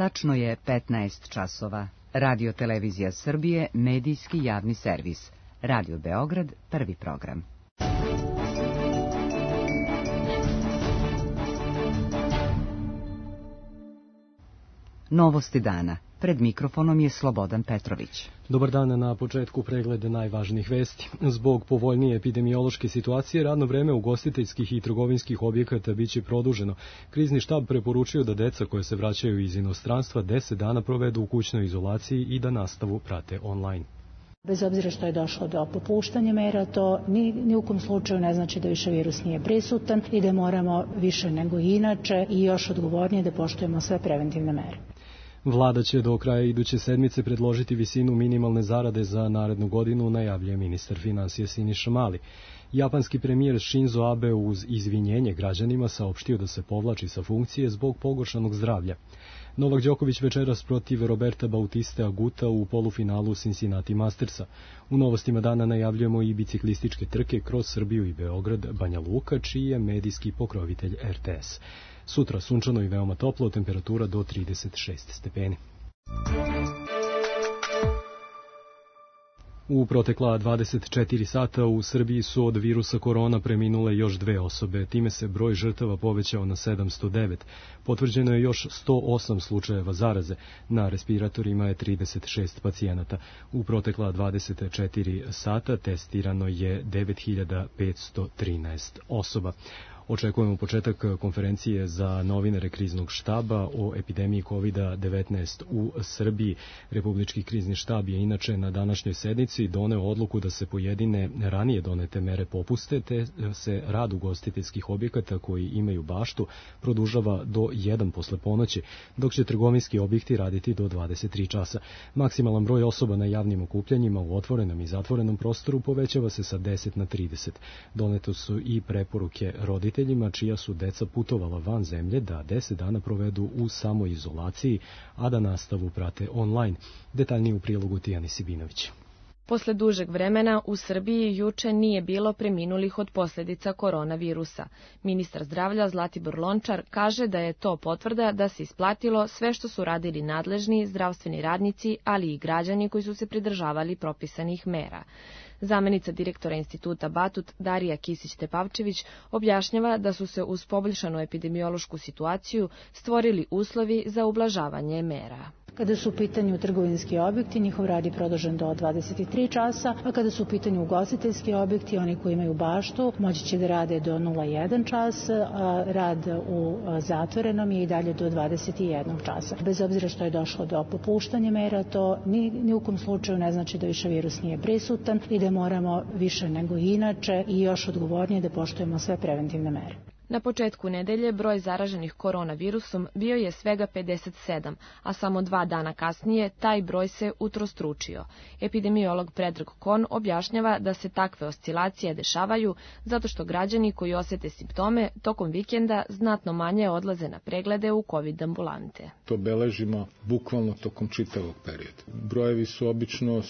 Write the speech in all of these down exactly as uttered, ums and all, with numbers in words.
Tačno je petnaest časova. Radio Televizija Srbije, medijski javni servis. Radio Beograd, prvi program. Novosti dana. Pred mikrofonom je Slobodan Petrović. Dobar dan, na početku pregled najvažnijih vesti. Zbog povoljnije epidemiološke situacije, radno vreme ugostiteljskih i trgovinskih objekata biće produženo. Krizni štab preporučio da deca koje se vraćaju iz inostranstva deset dana provedu u kućnoj izolaciji i da nastavu prate online. Bez obzira što je došlo do popuštanja mera, to ni, ni u kom slučaju ne znači da više virus nije prisutan i da moramo više nego inače i još odgovornije da poštujemo sve preventivne mere. Vlada će do kraja iduće sedmice predložiti visinu minimalne zarade za narednu godinu, najavljuje ministar finansija Siniša Mali. Japanski premijer Shinzo Abe uz izvinjenje građanima saopštio da se povlači sa funkcije zbog pogoršanog zdravlja. Novak Đoković večeras protiv Roberta Bautiste Aguta u polufinalu Cincinnati Mastersa. U novostima dana najavljujemo i biciklističke trke kroz Srbiju i Beograd, Banja Luka, čiji je medijski pokrovitelj R T S. Sutra sunčano i veoma toplo, temperatura do trideset šest stepeni. U protekla dvadeset četiri sata u Srbiji su od virusa korona preminule još dve osobe, time se broj žrtava povećao na sedamsto devet. Potvrđeno je još sto osam slučajeva zaraze, na respiratorima je trideset šest pacijenata. U protekla dvadeset četiri sata testirano je devet hiljada petsto trinaest osoba. Očekujemo početak konferencije za novinare kriznog štaba o epidemiji kovid devetnaest u Srbiji. Republički krizni štab je inače na današnjoj sednici doneo odluku da se pojedine ranije donete mere popuste, te se rad ugostiteljskih objekata koji imaju baštu produžava do jedan posle ponoći, dok će trgovinski objekti raditi do dvadeset tri časa. Maksimalan broj osoba na javnim okupljanjima u otvorenom i zatvorenom prostoru povećava se sa deset na trideset. Doneto su i preporuke roditeljima čija su deca putovala van zemlje da deset dana provedu u samoizolaciji, a da nastavu prate online. Detaljnije u prilogu Tijani Sibinović. Posle dužeg vremena u Srbiji juče nije bilo preminulih od posljedica koronavirusa. Ministar zdravlja Zlatibor Lončar kaže da je to potvrda da se isplatilo sve što su radili nadležni zdravstveni radnici, ali i građani koji su se pridržavali propisanih mera. Zamenica direktora instituta Batut Darija Kisić-Tepavčević objašnjava da su se uz poboljšanu epidemiološku situaciju stvorili uslovi za ublažavanje mera. Kada su u pitanju trgovinski objekti, njihov rad je produžen do dvadeset tri časa, a kada su u pitanju ugostiteljski objekti, oni koji imaju baštu, moći će da rade do nula jedan čas, a rad u zatvorenom je i dalje do dvadeset jedan časa. Bez obzira što je došlo do popuštanja mera, to ni, ni u kom slučaju ne znači da više virus nije prisutan i da moramo više nego inače i još odgovornije da poštujemo sve preventivne mere. Na početku nedelje broj zaraženih koronavirusom bio je svega pedeset sedam, a samo dva dana kasnije taj broj se utrostručio. Epidemiolog Predrag Kon objašnjava da se takve oscilacije dešavaju zato što građani koji osete simptome tokom vikenda znatno manje odlaze na preglede u COVID ambulante. To beležimo bukvalno tokom čitavog perioda. Brojevi su obično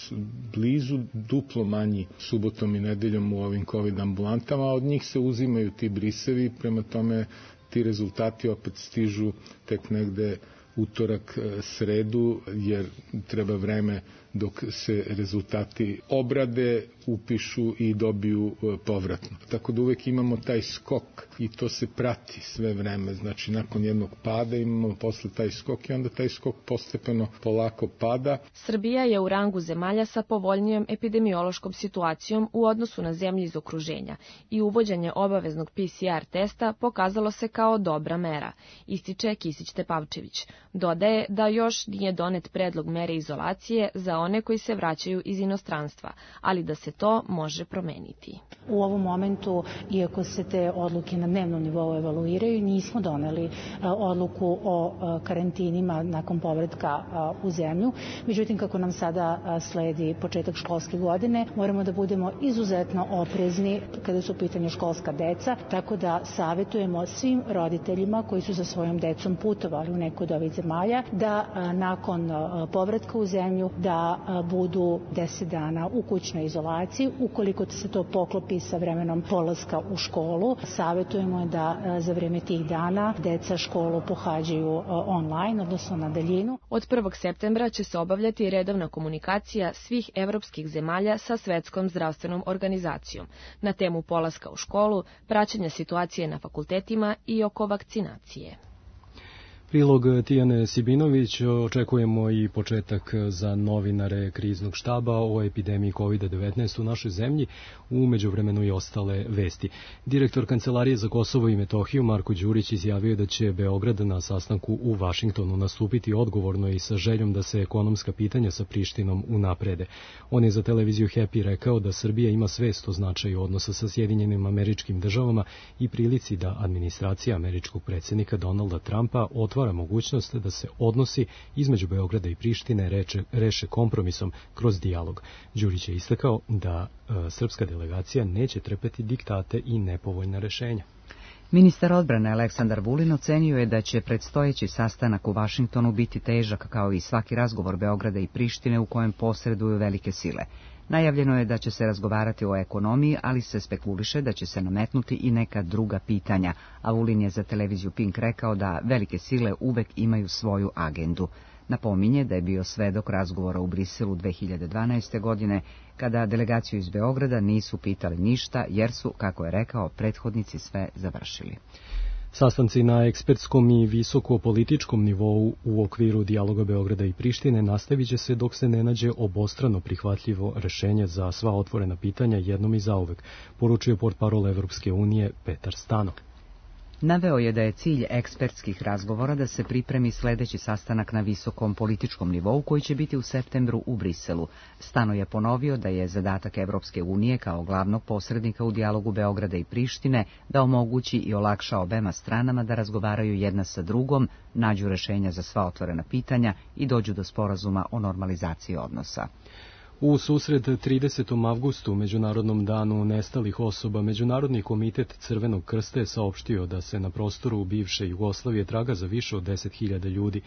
blizu duplo manji subotom i nedeljom u ovim COVID ambulantama, a od njih se uzimaju ti brisevi. Prema tome, ti rezultati opet stižu tek negde utorak, sredu, jer treba vreme dok se rezultati obrade, upišu i dobiju povratno. Tako da uvek imamo taj skok i to se prati sve vreme. Znači, nakon jednog pada imamo posle taj skok i onda taj skok postepeno polako pada. Srbija je u rangu zemalja sa povoljnijom epidemiološkom situacijom u odnosu na zemlje iz okruženja i uvođenje obaveznog P C R testa pokazalo se kao dobra mera, ističe Kisić-Tepavčević. Dodaje da još nije donet predlog mere izolacije za one koji se vraćaju iz inostranstva, ali da se to može promeniti. U ovom momentu, iako se te odluke na dnevnom nivou evaluiraju, nismo doneli odluku o karantinima nakon povratka u zemlju. Međutim, kako nam sada sledi početak školske godine, moramo da budemo izuzetno oprezni kada su u pitanju školska deca, tako da savetujemo svim roditeljima koji su sa svojom decom putovali u neku od ovih zemalja, da nakon povratka u zemlju da da budu deset dana u kućnoj izolaciji. Ukoliko se to poklopi sa vremenom polaska u školu, savjetujemo da za vreme tih dana deca školu pohađaju online, odnosno na daljinu. Od prvog septembra će se obavljati redovna komunikacija svih evropskih zemalja sa Svetskom zdravstvenom organizacijom na temu polaska u školu, praćenja situacije na fakultetima i oko vakcinacije. Prilog Tijane Sibinović, očekujemo i početak za novinare kriznog štaba o epidemiji kovid devetnaest u našoj zemlji, u međuvremenu i ostale vesti. Direktor Kancelarije za Kosovo i Metohiju Marko Đurić izjavio da će Beograd na sastanku u Vašingtonu nastupiti odgovorno i sa željom da se ekonomska pitanja sa Prištinom unaprede. On je za televiziju Happy rekao da Srbija ima svest o značaju odnosa sa Sjedinjenim Američkim Državama i prilici da administracija američkog predsjednika Donalda Trumpa otvara mogućnost da se odnosi između Beograda i Prištine reče, reše kompromisom kroz dijalog. Đurić je istakao da e, srpska delegacija neće trpeti diktate i nepovoljna rešenja. Ministar odbrane Aleksandar Vulin ocenio je da će predstojeći sastanak u Vašingtonu biti težak kao i svaki razgovor Beograda i Prištine u kojem posreduju velike sile. Najavljeno je da će se razgovarati o ekonomiji, ali se spekuliše da će se nametnuti i neka druga pitanja, a Vulin je za televiziju Pink rekao da velike sile uvek imaju svoju agendu. Napominje da je bio svedok razgovora u Briselu dve hiljade dvanaeste. godine, kada delegaciju iz Beograda nisu pitali ništa, jer su, kako je rekao, prethodnici sve završili. Sastanci na ekspertskom i visoko-političkom nivou u okviru dijaloga Beograda i Prištine nastavit će se dok se ne nađe obostrano prihvatljivo rešenje za sva otvorena pitanja jednom i zauvek, poručio portparol Evropske unije Petar Stano. Naveo je da je cilj ekspertskih razgovora da se pripremi sledeći sastanak na visokom političkom nivou koji će biti u septembru u Briselu. Stano je ponovio da je zadatak Evropske unije kao glavnog posrednika u dijalogu Beograda i Prištine da omogući i olakša obema stranama da razgovaraju jedna sa drugom, nađu rešenja za sva otvorena pitanja i dođu do sporazuma o normalizaciji odnosa. U susret tridesetom avgustu, Međunarodnom danu nestalih osoba, Međunarodni komitet Crvenog krsta je saopštio da se na prostoru bivše Jugoslavije traga za više od deset hiljada ljudi.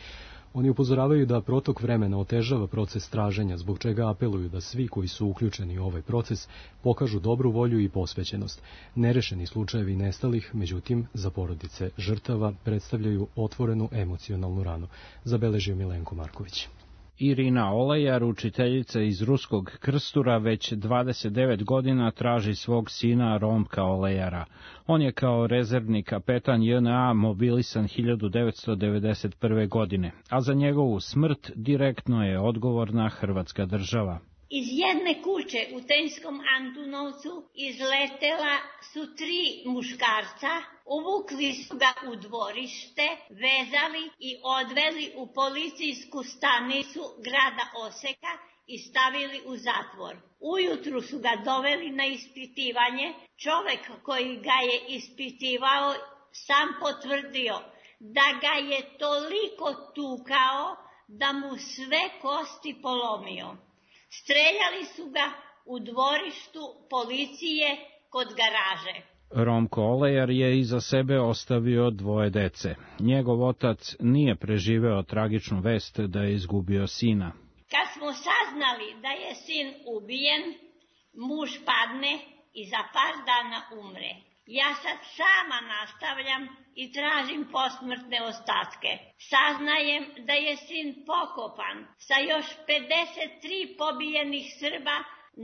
Oni upozoravaju da protok vremena otežava proces traženja, zbog čega apeluju da svi koji su uključeni u ovaj proces pokažu dobru volju i posvećenost. Nerešeni slučajevi nestalih, međutim, za porodice žrtava predstavljaju otvorenu emocionalnu ranu, zabeležio Milenko Marković. Irina Olejar, učiteljica iz Ruskog Krstura, već dvadeset devet godina traži svog sina Romka Olejara. On je kao rezervni kapetan J N A mobilisan hiljadu devetsto devedeset prve. godine, a za njegovu smrt direktno je odgovorna Hrvatska država. Iz jedne kuće u Tenjskom Antunovcu izletela su tri muškarca, uvukli su ga u dvorište, vezali i odveli u policijsku stanicu grada Oseka i stavili u zatvor. Ujutru su ga doveli na ispitivanje. Čovek koji ga je ispitivao sam potvrdio da ga je toliko tukao da mu sve kosti polomio. Streljali su ga u dvorištu policije kod garaže. Romko Olejar je iza sebe ostavio dvoje dece. Njegov otac nije preživeo tragičnu vest da je izgubio sina. Kad smo saznali da je sin ubijen, muž padne i za par dana umre. Ja sad sama nastavljam i tražim posmrtne ostatke. Saznajem da je sin pokopan sa još pedeset tri pobijenih Srba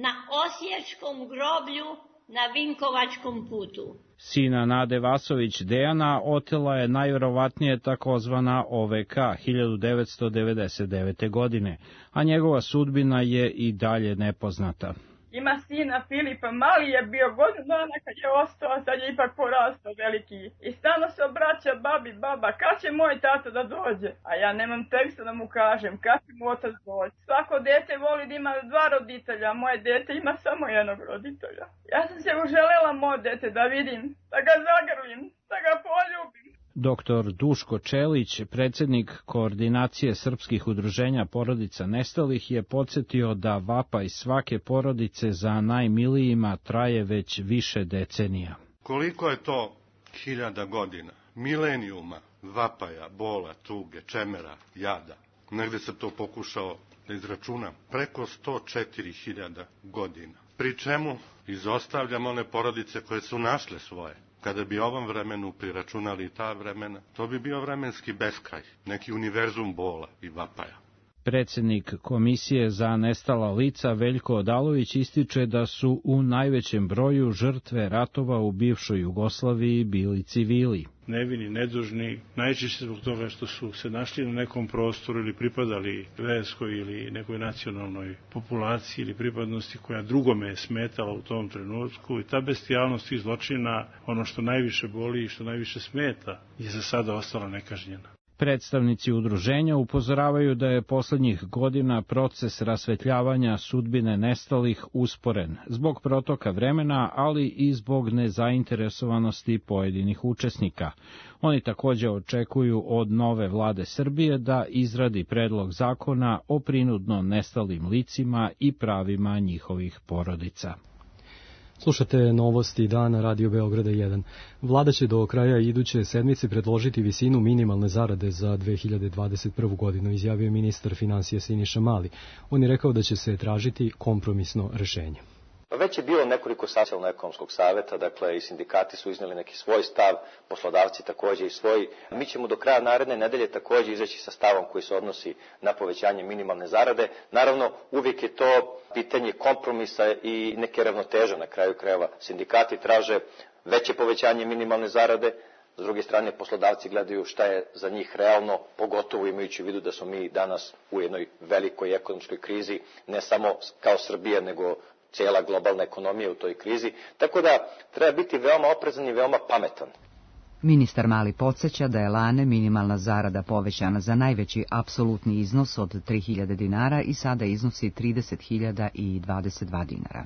na Osječkom groblju na Vinkovačkom putu. Sina Nade Vasović Dejana otela je najvjerovatnije takozvana O V K hiljadu devetsto devedeset devete. godine, a njegova sudbina je i dalje nepoznata. Ima sina Filipa, mali je bio godinu dana kad je ostao, sad je ipak porastao veliki. I stalno se obraća babi, baba, kad će moj tata da dođe? A ja nemam teksta da mu kažem, kad će mu otac doći? Svako dete voli da ima dva roditelja, a moje dete ima samo jednog roditelja. Ja sam se uželela moje dete da vidim, da ga zagrlim, da ga poljubim. Doktor Duško Čelić, predsjednik koordinacije srpskih udruženja porodica nestalih, je podsjetio da vapaj svake porodice za najmilijima traje već više decenija. Koliko je to hiljada godina, milenijuma, vapaja, bola, tuge, čemera, jada? negde sam to pokušao da izračunam, preko sto četiri hiljade godina. Pri čemu izostavljam one porodice koje su našle svoje. Kada bi ovom vremenu priračunali ta vremena, to bi bio vremenski beskraj, neki univerzum bola i vapaja. Predsjednik Komisije za nestala lica Veljko Odalović ističe da su u najvećem broju žrtve ratova u bivšoj Jugoslaviji bili civili. Nevini, nedužni, najčešće zbog toga što su se našli na nekom prostoru ili pripadali verskoj ili nekoj nacionalnoj populaciji ili pripadnosti koja drugome je smetala u tom trenutku, i ta bestijalnost i zločina, ono što najviše boli i što najviše smeta, je za sada ostala nekažnjena. Predstavnici udruženja upozoravaju da je poslednjih godina proces rasvetljavanja sudbine nestalih usporen zbog protoka vremena, ali i zbog nezainteresovanosti pojedinih učesnika. Oni takođe očekuju od nove vlade Srbije da izradi predlog zakona o prinudno nestalim licima i pravima njihovih porodica. Slušate novosti dana Radio Beograda jedan. Vlada će do kraja iduće sedmice predložiti visinu minimalne zarade za dve hiljade dvadeset prvu godinu, izjavio je ministar finansija Siniša Mali. On je rekao da će se tražiti kompromisno rešenje. Već je bilo nekoliko socijalno-ekonomskog saveta, dakle i sindikati su izneli neki svoj stav, poslodavci takođe i svoj. Mi ćemo do kraja naredne nedelje takođe izaći sa stavom koji se odnosi na povećanje minimalne zarade. Naravno, uvijek je to pitanje kompromisa i neke ravnoteže na kraju krajeva. Sindikati traže veće povećanje minimalne zarade, s druge strane poslodavci gledaju šta je za njih realno, pogotovo imajući u vidu da smo mi danas u jednoj velikoj ekonomskoj krizi, ne samo kao Srbija, nego cijela globalna ekonomija u toj krizi, tako da treba biti veoma oprezan i veoma pametan. Ministar Mali podsjeća da je lane minimalna zarada povećana za najveći apsolutni iznos od tri hiljade dinara i sada iznosi trideset hiljada dvadeset dva dinara.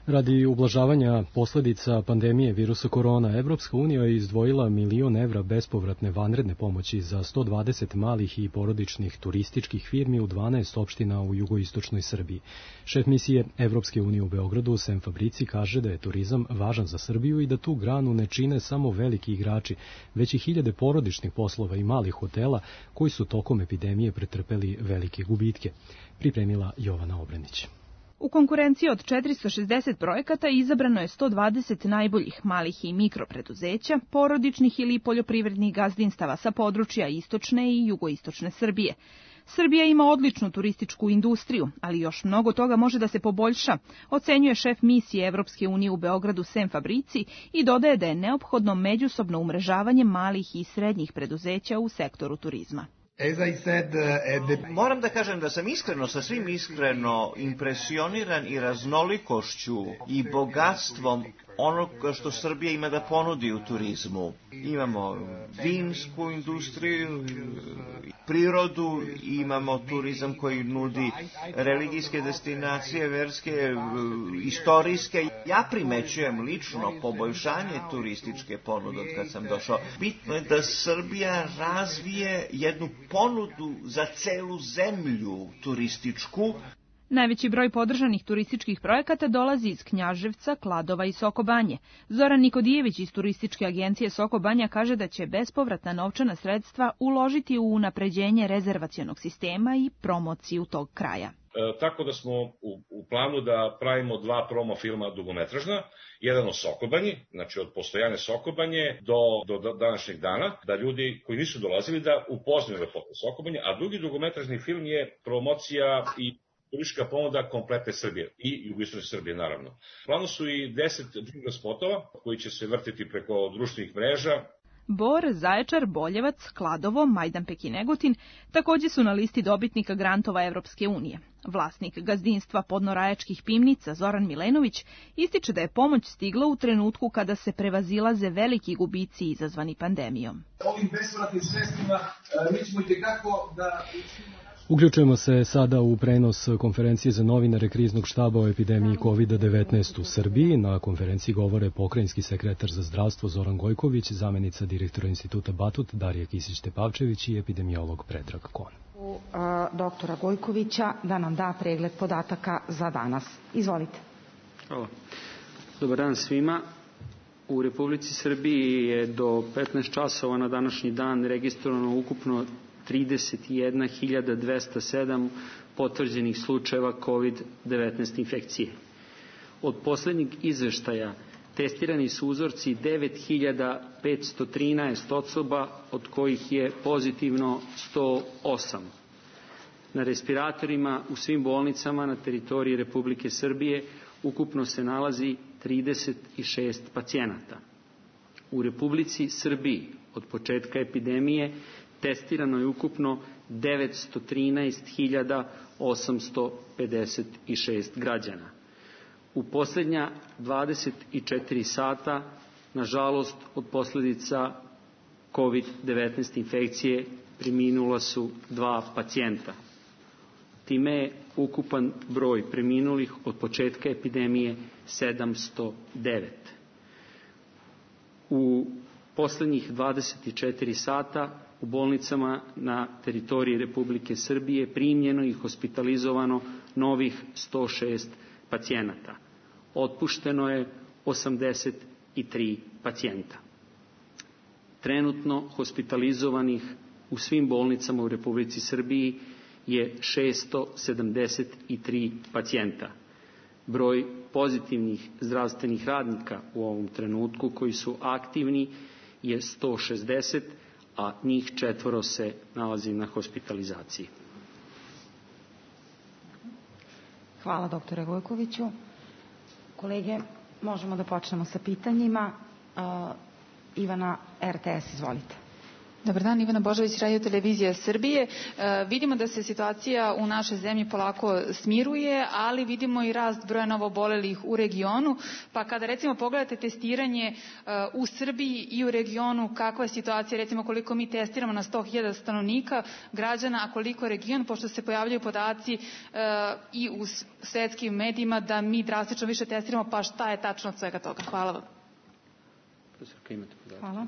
Radi ublažavanja posledica pandemije virusa korona, Evropska unija je izdvojila milion evra bespovratne vanredne pomoći za sto dvadeset malih i porodičnih turističkih firmi u dvanaest opština u jugoistočnoj Srbiji. Šef misije Evropske unije u Beogradu, Sem Fabrici, kaže da je turizam važan za Srbiju i da tu granu ne čine samo veliki igrači, već i hiljade porodičnih poslova i malih hotela koji su tokom epidemije pretrpeli velike gubitke. Pripremila Jovana Obrenić. U konkurenciji od četiristo šezdeset projekata izabrano je sto dvadeset najboljih malih i mikropreduzeća, porodičnih ili poljoprivrednih gazdinstava sa područja istočne i jugoistočne Srbije. Srbija ima odličnu turističku industriju, ali još mnogo toga može da se poboljša, ocenjuje šef misije Evropske unije u Beogradu Sem Fabrici i dodaje da je neophodno međusobno umrežavanje malih i srednjih preduzeća u sektoru turizma. Moram da kažem da sam iskreno, sa svim iskreno impresioniran i raznolikošću i bogatstvom onoga što Srbija ima da ponudi u turizmu. Imamo vinsku industriju, prirodu, imamo turizam koji nudi religijske destinacije, verske, istorijske. Ja primećujem lično poboljšanje turističke ponude od kad sam došao. Bitno je da Srbija razvije jednu ponudu za celu zemlju turističku. Najveći broj podržanih turističkih projekata dolazi iz Knjaževca, Kladova i Soko Banje. Zoran Nikodijević iz turističke agencije Soko Banja kaže da će bespovratna novčana sredstva uložiti u unapređenje rezervacionog sistema i promociju tog kraja. E, tako da smo u, u planu da pravimo dva promo filma dugometražna, jedan o Sokobanji, znači od postojanja Sokobanje do, do današnjeg dana, da ljudi koji nisu dolazili da upoznaju lepote Sokobanje, a drugi dugometražni film je promocija i turistička ponuda kompletne Srbije i jugoistočne Srbije, naravno. U planu su i deset džingl spotova koji će se vrtiti preko društvenih mreža. Bor, Zaječar, Boljevac, Kladovo, Majdanpek i Negotin takođe su na listi dobitnika grantova Evropske unije. Vlasnik gazdinstva podnorajačkih pivnica Zoran Milenović ističe da je pomoć stigla u trenutku kada se prevazilaze veliki gubici izazvani pandemijom. Ovim bespovratnim sredstvima mi ćemo itekako da... Uključujemo se sada u prenos konferencije za novinare kriznog štaba o epidemiji kovid devetnaest u Srbiji. Na konferenciji govore pokrajinski sekretar za zdravstvo Zoran Gojković, zamenica direktora instituta Batut Darija Kisić-Tepavčević i epidemiolog Predrag Kon. U a, doktora Gojkovića da nam da pregled podataka za danas. Izvolite. Hvala. Dobar dan svima. U Republici Srbiji je do petnaest časova na današnji dan registrovano ukupno trideset jedna hiljada dvesta sedam potvrđenih slučajeva kovid devetnaest infekcije. Od poslednjeg izveštaja testirani su uzorci devet hiljada petsto trinaest osoba, od kojih je pozitivno sto osam. Na respiratorima u svim bolnicama na teritoriji Republike Srbije ukupno se nalazi trideset šest pacijenata. U Republici Srbiji od početka epidemije testirano je ukupno devetsto trinaest hiljada osamsto pedeset šest građana. U poslednja dvadeset četiri sata, nažalost, od posledica kovid devetnaest infekcije preminula su dva pacijenta. Time je ukupan broj preminulih od početka epidemije sedamsto devet. U poslednjih dvadeset četiri sata u bolnicama na teritoriji Republike Srbije primljeno i hospitalizovano novih sto šest pacijenata. Otpušteno je osamdeset tri pacijenta. Trenutno hospitalizovanih u svim bolnicama u Republici Srbiji je šesto sedamdeset tri pacijenta. Broj pozitivnih zdravstvenih radnika u ovom trenutku koji su aktivni je sto šezdeset, a njih četvoro se nalazi na hospitalizaciji. Hvala doktore Gojkoviću. Kolege, možemo da počnemo sa pitanjima. Uh, Ivana, R T S, izvolite. Dobar dan, Ivana Božović, Radio Televizija Srbije. E, vidimo da se situacija u našoj zemlji polako smiruje, ali vidimo i rast broja novobolelih u regionu. Pa kada recimo pogledate testiranje e, u Srbiji i u regionu, kakva je situacija, recimo koliko mi testiramo na sto hiljada stanovnika građana, a koliko region, pošto se pojavljaju podaci e, i u svetskim medijima da mi drastično više testiramo, pa šta je tačno od svega toga? Hvala vam. Hvala.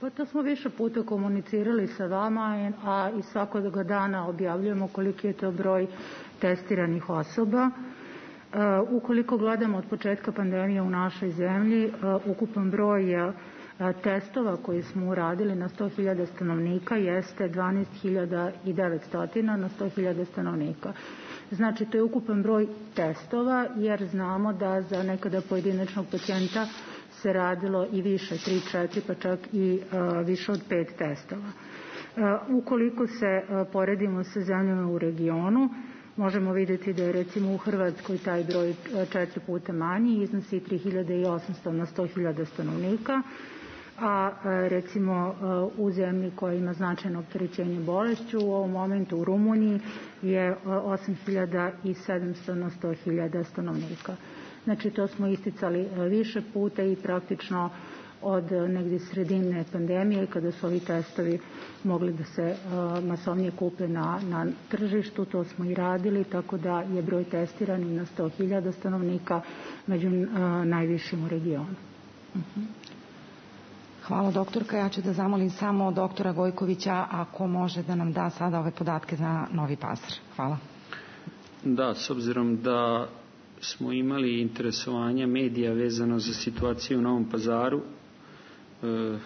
Pa to smo više puta komunicirali sa vama, a i svakog dana objavljujemo koliki je to broj testiranih osoba. Uh, ukoliko gledamo od početka pandemije u našoj zemlji, uh, ukupan broj uh, testova koji smo uradili na sto hiljada stanovnika jeste dvanaest hiljada devetsto na sto hiljada stanovnika. Znači, to je ukupan broj testova, jer znamo da za nekada pojedinačnog pacijenta se radilo i više, tri, četiri, pa čak i uh, više od pet testova. Uh, ukoliko se uh, poredimo sa zemljama u regionu, možemo vidjeti da je recimo u Hrvatskoj taj broj uh, četiri puta manji, iznosi tri hiljade osamsto na sto hiljada stanovnika, a uh, recimo uh, u zemlji koja ima značajno opterećenje bolešću, u ovom momentu u Rumuniji je uh, osam hiljada sedamsto na sto hiljada stanovnika. Znači, to smo isticali više puta i praktično od negdje sredine pandemije, kada su ovi testovi mogli da se uh, masovnije kupe na, na tržištu, to smo i radili, tako da je broj testiranih na sto hiljada stanovnika među uh, najvišim u regionu. Uh-huh. Hvala, doktorka. Ja ću da zamolim samo doktora Gojkovića ako može da nam da sada ove podatke za Novi Pazar. Hvala. Da, s obzirom da smo imali interesovanja medija vezano za situaciju u Novom Pazaru. E,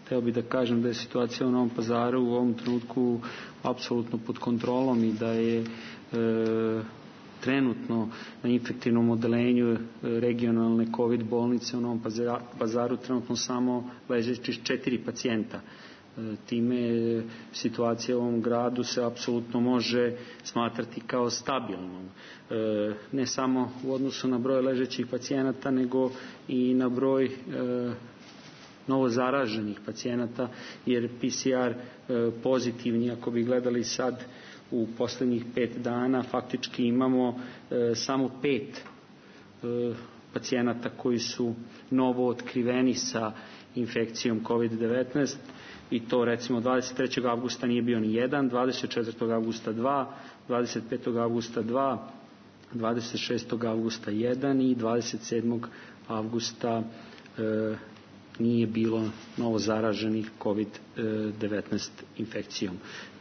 teo bih da kažem da je situacija u Novom Pazaru u ovom trenutku apsolutno pod kontrolom i da je e, trenutno na infektivnom odelenju regionalne COVID bolnice u Novom Pazaru trenutno samo ležeći četiri pacijenta. Time situacija u ovom gradu se apsolutno može smatrati kao stabilnom. Ne samo u odnosu na broj ležećih pacijenata, nego i na broj novo zaraženih pacijenata, jer P C R pozitivni, ako bi gledali sad u poslednjih pet dana, faktički imamo samo pet pacijenata koji su novo otkriveni sa infekcijom COVID devetnaest, i to recimo dvadeset trećeg avgusta nije bio ni jedan, dvadeset četvrtog avgusta dva, dvadeset petog avgusta dva, dvadeset šestog avgusta jedan i dvadeset sedmog avgusta e, nije bilo novo zaraženih COVID devetnaest infekcijom.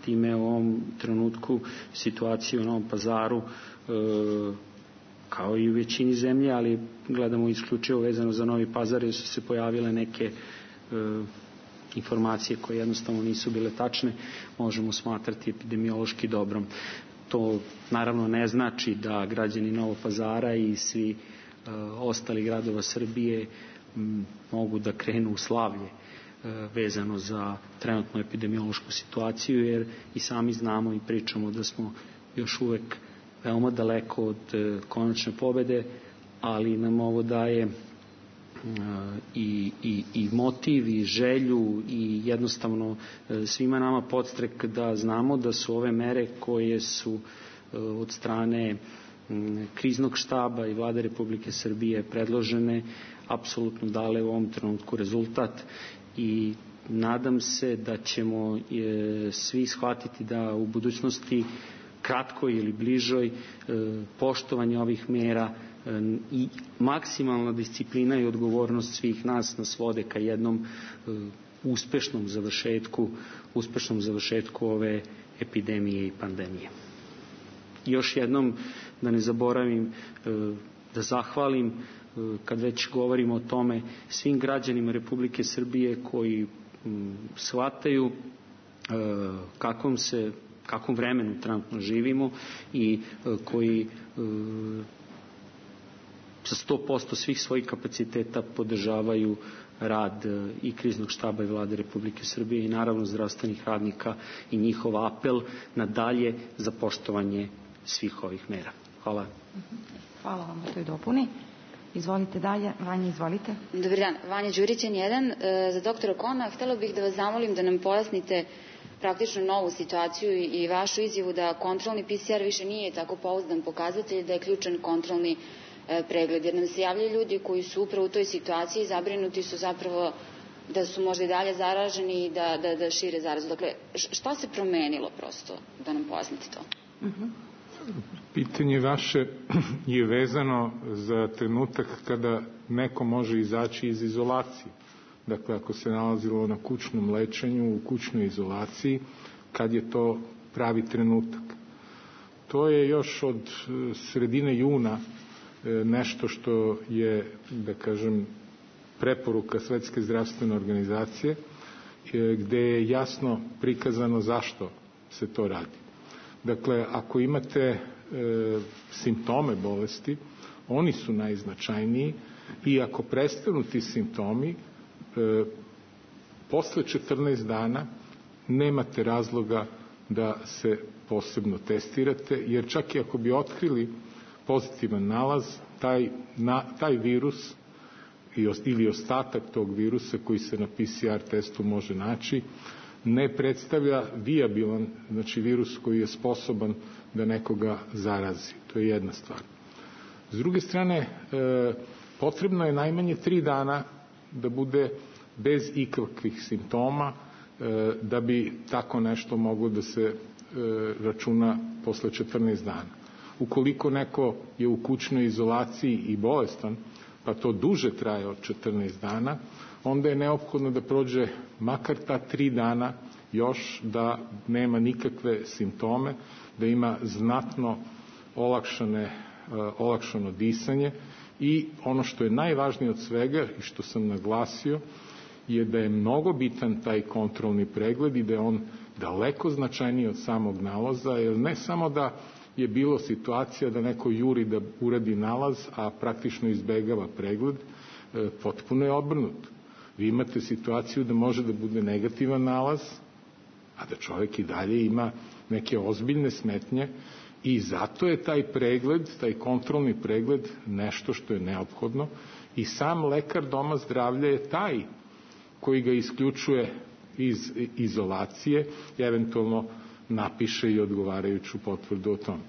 Time u ovom trenutku situacija u Novom Pazaru, e, kao i u većini zemlje, ali gledamo isključivo vezano za Novi Pazar, jer su se pojavile neke e, informacije koje jednostavno nisu bile tačne možemo smatrati epidemiološki dobrom. To naravno ne znači da građani Novog Pazara i svi uh, ostali gradova Srbije m, mogu da krenu u slavlje uh, vezano za trenutnu epidemiološku situaciju, jer i sami znamo i pričamo da smo još uvek veoma daleko od uh, konačne pobede, ali nam ovo daje I, i, i motiv i želju i jednostavno svima nama podstrek da znamo da su ove mere koje su od strane kriznog štaba i Vlade Republike Srbije predložene apsolutno dale u ovom trenutku rezultat i nadam se da ćemo svi shvatiti da u budućnosti kratkoj ili bližoj poštovanje ovih mera i maksimalna disciplina i odgovornost svih nas nas vode ka jednom uh, uspešnom završetku uspešnom završetku ove epidemije i pandemije. Još jednom da ne zaboravim uh, da zahvalim uh, kad već govorimo o tome svim građanima Republike Srbije koji um, shvataju uh, kakvom se kakvom vremenu trenutno živimo i uh, koji uh, sa sto posto svih svojih kapaciteta podržavaju rad i kriznog štaba i Vlade Republike Srbije i naravno zdravstvenih radnika i njihov apel na dalje za poštovanje svih ovih mera. Hvala. Hvala vam na toj dopuni. Izvolite dalje. Vanja, izvolite. Dobar dan. Vanja Đurić, N jedan. Za doktora Kona, htela bih da vas zamolim da nam pojasnite praktično novu situaciju i vašu izjavu da kontrolni P C R više nije tako pouzdan pokazatelj, da je ključan kontrolni pregled, jer nam se javljaju ljudi koji su upravo u toj situaciji, zabrinuti su zapravo da su možda i dalje zaraženi i da, da, da šire zarazu. Dakle, šta se promenilo prosto, da nam pojasnite to? Uh-huh. Pitanje vaše je vezano za trenutak kada neko može izaći iz izolacije. Dakle, ako se nalazilo na kućnom lečenju, u kućnoj izolaciji, kad je to pravi trenutak. To je još od sredine juna nešto što je, da kažem, preporuka Svetske zdravstvene organizacije, gde je jasno prikazano zašto se to radi. Dakle, ako imate e, simptome bolesti, oni su najznačajniji i ako prestanu ti simptomi, e, posle četrnaest dana nemate razloga da se posebno testirate, jer čak i ako bi otkrili pozitivan nalaz, taj, na, taj virus ili ostatak tog virusa koji se na P C R testu može naći, ne predstavlja vijabilan, znači virus koji je sposoban da nekoga zarazi. To je jedna stvar. S druge strane, e, potrebno je najmanje tri dana da bude bez ikakvih simptoma, e, da bi tako nešto moglo da se e, računa posle četrnaest dana. Ukoliko neko je u kućnoj izolaciji i bolestan, pa to duže traje od četrnaest dana, onda je neophodno da prođe makar ta tri dana još da nema nikakve simptome, da ima znatno olakšane, olakšano disanje i ono što je najvažnije od svega i što sam naglasio je da je mnogo bitan taj kontrolni pregled i da je on daleko značajniji od samog nalaza, jer ne samo da je bilo situacija da neko juri da uradi nalaz, a praktično izbegava pregled, e, potpuno je obrnuto. Vi imate situaciju da može da bude negativan nalaz, a da čovjek i dalje ima neke ozbiljne smetnje i zato je taj pregled, taj kontrolni pregled nešto što je neophodno i sam lekar doma zdravlja je taj koji ga isključuje iz izolacije i eventualno napiše i odgovarajuću potvrdu o tome.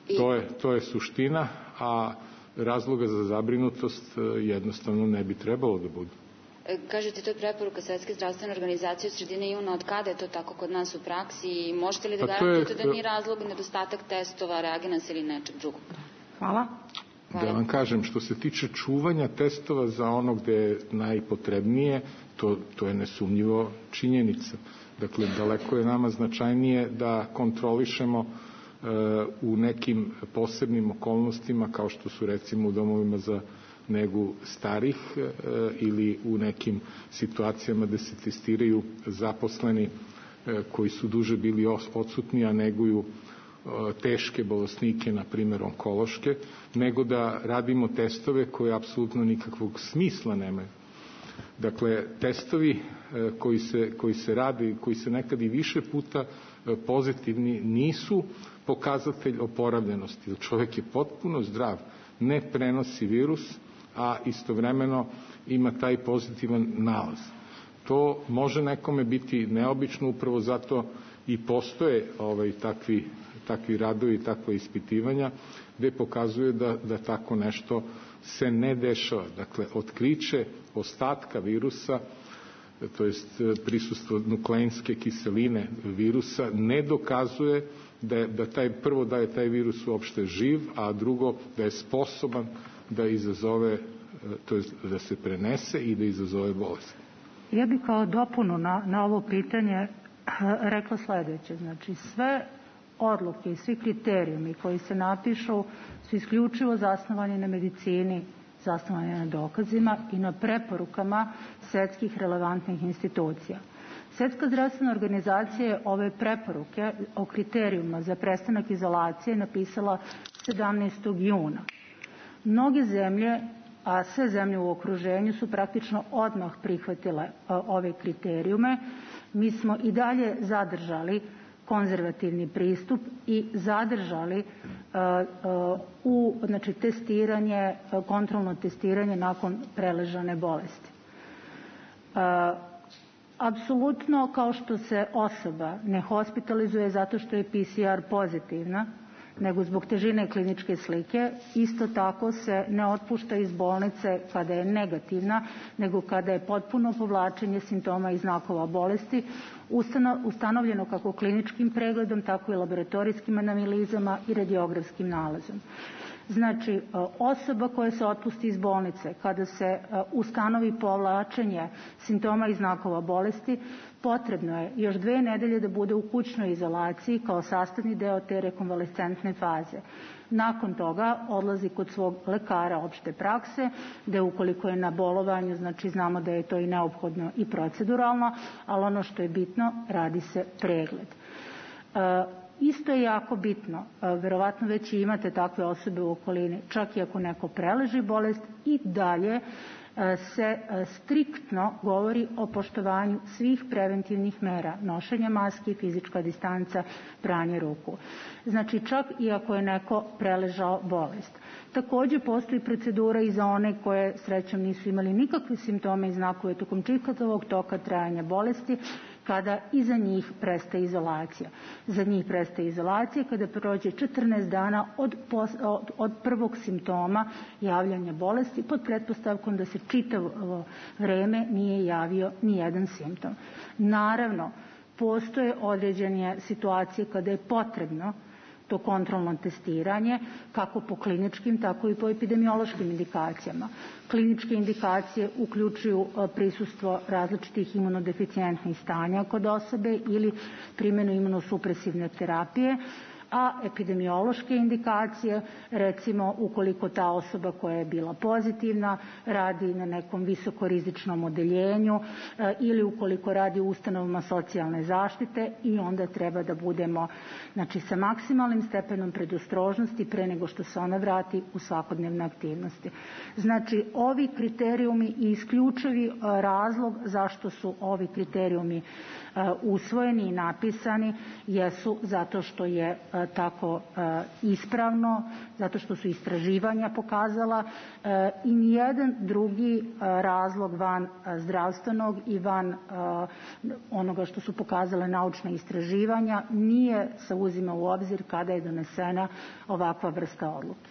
I... To je, to je suština, a razloga za zabrinutost jednostavno ne bi trebalo da bude. Kažete, to je preporuka Svetske zdravstvene organizacije od sredine juna. Od kada je to tako kod nas u praksi i možete li da garantujete je... da nije razlog nedostatak testova, reagenasa ili nečeg drugog? Hvala. Da vam kažem, što se tiče čuvanja testova za ono gde je najpotrebnije, to, to je nesumnjivo činjenica. Dakle, daleko je nama značajnije da kontrolišemo e, u nekim posebnim okolnostima, kao što su recimo u domovima za nego starih ili u nekim situacijama da se testiraju zaposleni koji su duže bili odsutni, a neguju teške bolesnike, na primjer onkološke, nego da radimo testove koje apsolutno nikakvog smisla nemaju. Dakle, testovi koji se, koji se radi, koji se nekad i više puta pozitivni, nisu pokazatelj oporavljenosti, jer čovjek je potpuno zdrav, ne prenosi virus, a istovremeno ima taj pozitivan nalaz. To može nekome biti neobično, upravo zato i postoje ovaj, takvi, takvi radovi, takva ispitivanja, gde pokazuje da, da tako nešto se ne dešava. Dakle, otkriće ostatka virusa, to jest prisustvo nukleinske kiseline virusa, ne dokazuje da, je, da taj, prvo da je taj virus uopšte živ, a drugo da je sposoban da izazove, to jest da se prenese i da izazove bolest. Ja bih kao dopunu na, na ovo pitanje rekla sledeće. Znači, sve odluke i svi kriterijumi koji se napišu su isključivo zasnovani na medicini, zasnovani na dokazima i na preporukama svetskih relevantnih institucija. Svetska zdravstvena organizacija je ove preporuke o kriterijuma za prestanak izolacije napisala sedamnaestog juna. Mnoge zemlje, a sve zemlje u okruženju su praktično odmah prihvatile ove kriterijume. Mi smo i dalje zadržali konzervativni pristup i zadržali uh, uh, u znači, testiranje, kontrolno testiranje nakon preležane bolesti. Uh, apsolutno, kao što se osoba ne hospitalizuje zato što je P C R pozitivna, nego zbog težine kliničke slike, isto tako se ne otpušta iz bolnice kada je negativna, nego kada je potpuno povlačenje simptoma i znakova bolesti, ustanovljeno kako kliničkim pregledom, tako i laboratorijskim analizama i radiografskim nalazom. Znači, osoba koja se otpusti iz bolnice, kada se ustanovi povlačenje simptoma i znakova bolesti, potrebno je još dve nedelje da bude u kućnoj izolaciji kao sastavni deo te rekonvalescentne faze. Nakon toga odlazi kod svog lekara opšte prakse, gde ukoliko je na bolovanju, znači znamo da je to i neophodno i proceduralno, ali ono što je bitno, radi se pregled. E, Isto je jako bitno, verovatno već i imate takve osobe u okolini, čak i ako neko preleži bolest, i dalje se striktno govori o poštovanju svih preventivnih mera, nošenja maski, fizička distanca, pranje ruku. Znači, čak i ako je neko preležao bolest. Takođe, postoji procedura i za one koje srećom nisu imali nikakve simptome i znakove tokom čitavog toka trajanja bolesti, kada i za njih prestaje izolacija. Za njih prestaje izolacija kada prođe četrnaest dana od, od, od prvog simptoma javljanja bolesti, pod pretpostavkom da se čitavo vreme nije javio ni jedan simptom. Naravno, postoje određene situacije kada je potrebno to kontrolno testiranje, kako po kliničkim, tako i po epidemiološkim indikacijama. Kliničke indikacije uključuju prisustvo različitih imunodeficijentnih stanja kod osobe ili primjenu imunosupresivne terapije, a epidemiološke indikacije, recimo ukoliko ta osoba koja je bila pozitivna radi na nekom visokorizičnom odeljenju e, ili ukoliko radi u ustanovama socijalne zaštite, i onda treba da budemo znači, sa maksimalnim stepenom predostrožnosti pre nego što se ona vrati u svakodnevne aktivnosti. Znači, ovi kriterijumi i isključivi razlog zašto su ovi kriterijumi usvojeni i napisani jesu zato što je tako ispravno, zato što su istraživanja pokazala i nijedan drugi razlog van zdravstvenog i van onoga što su pokazale naučne istraživanja nije se uzima u obzir kada je donesena ovakva vrsta odluke.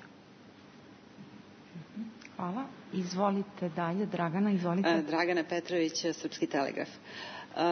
Hvala. Izvolite dalje. Dragana, izvolite. Dragana Petrović, Srpski telegraf.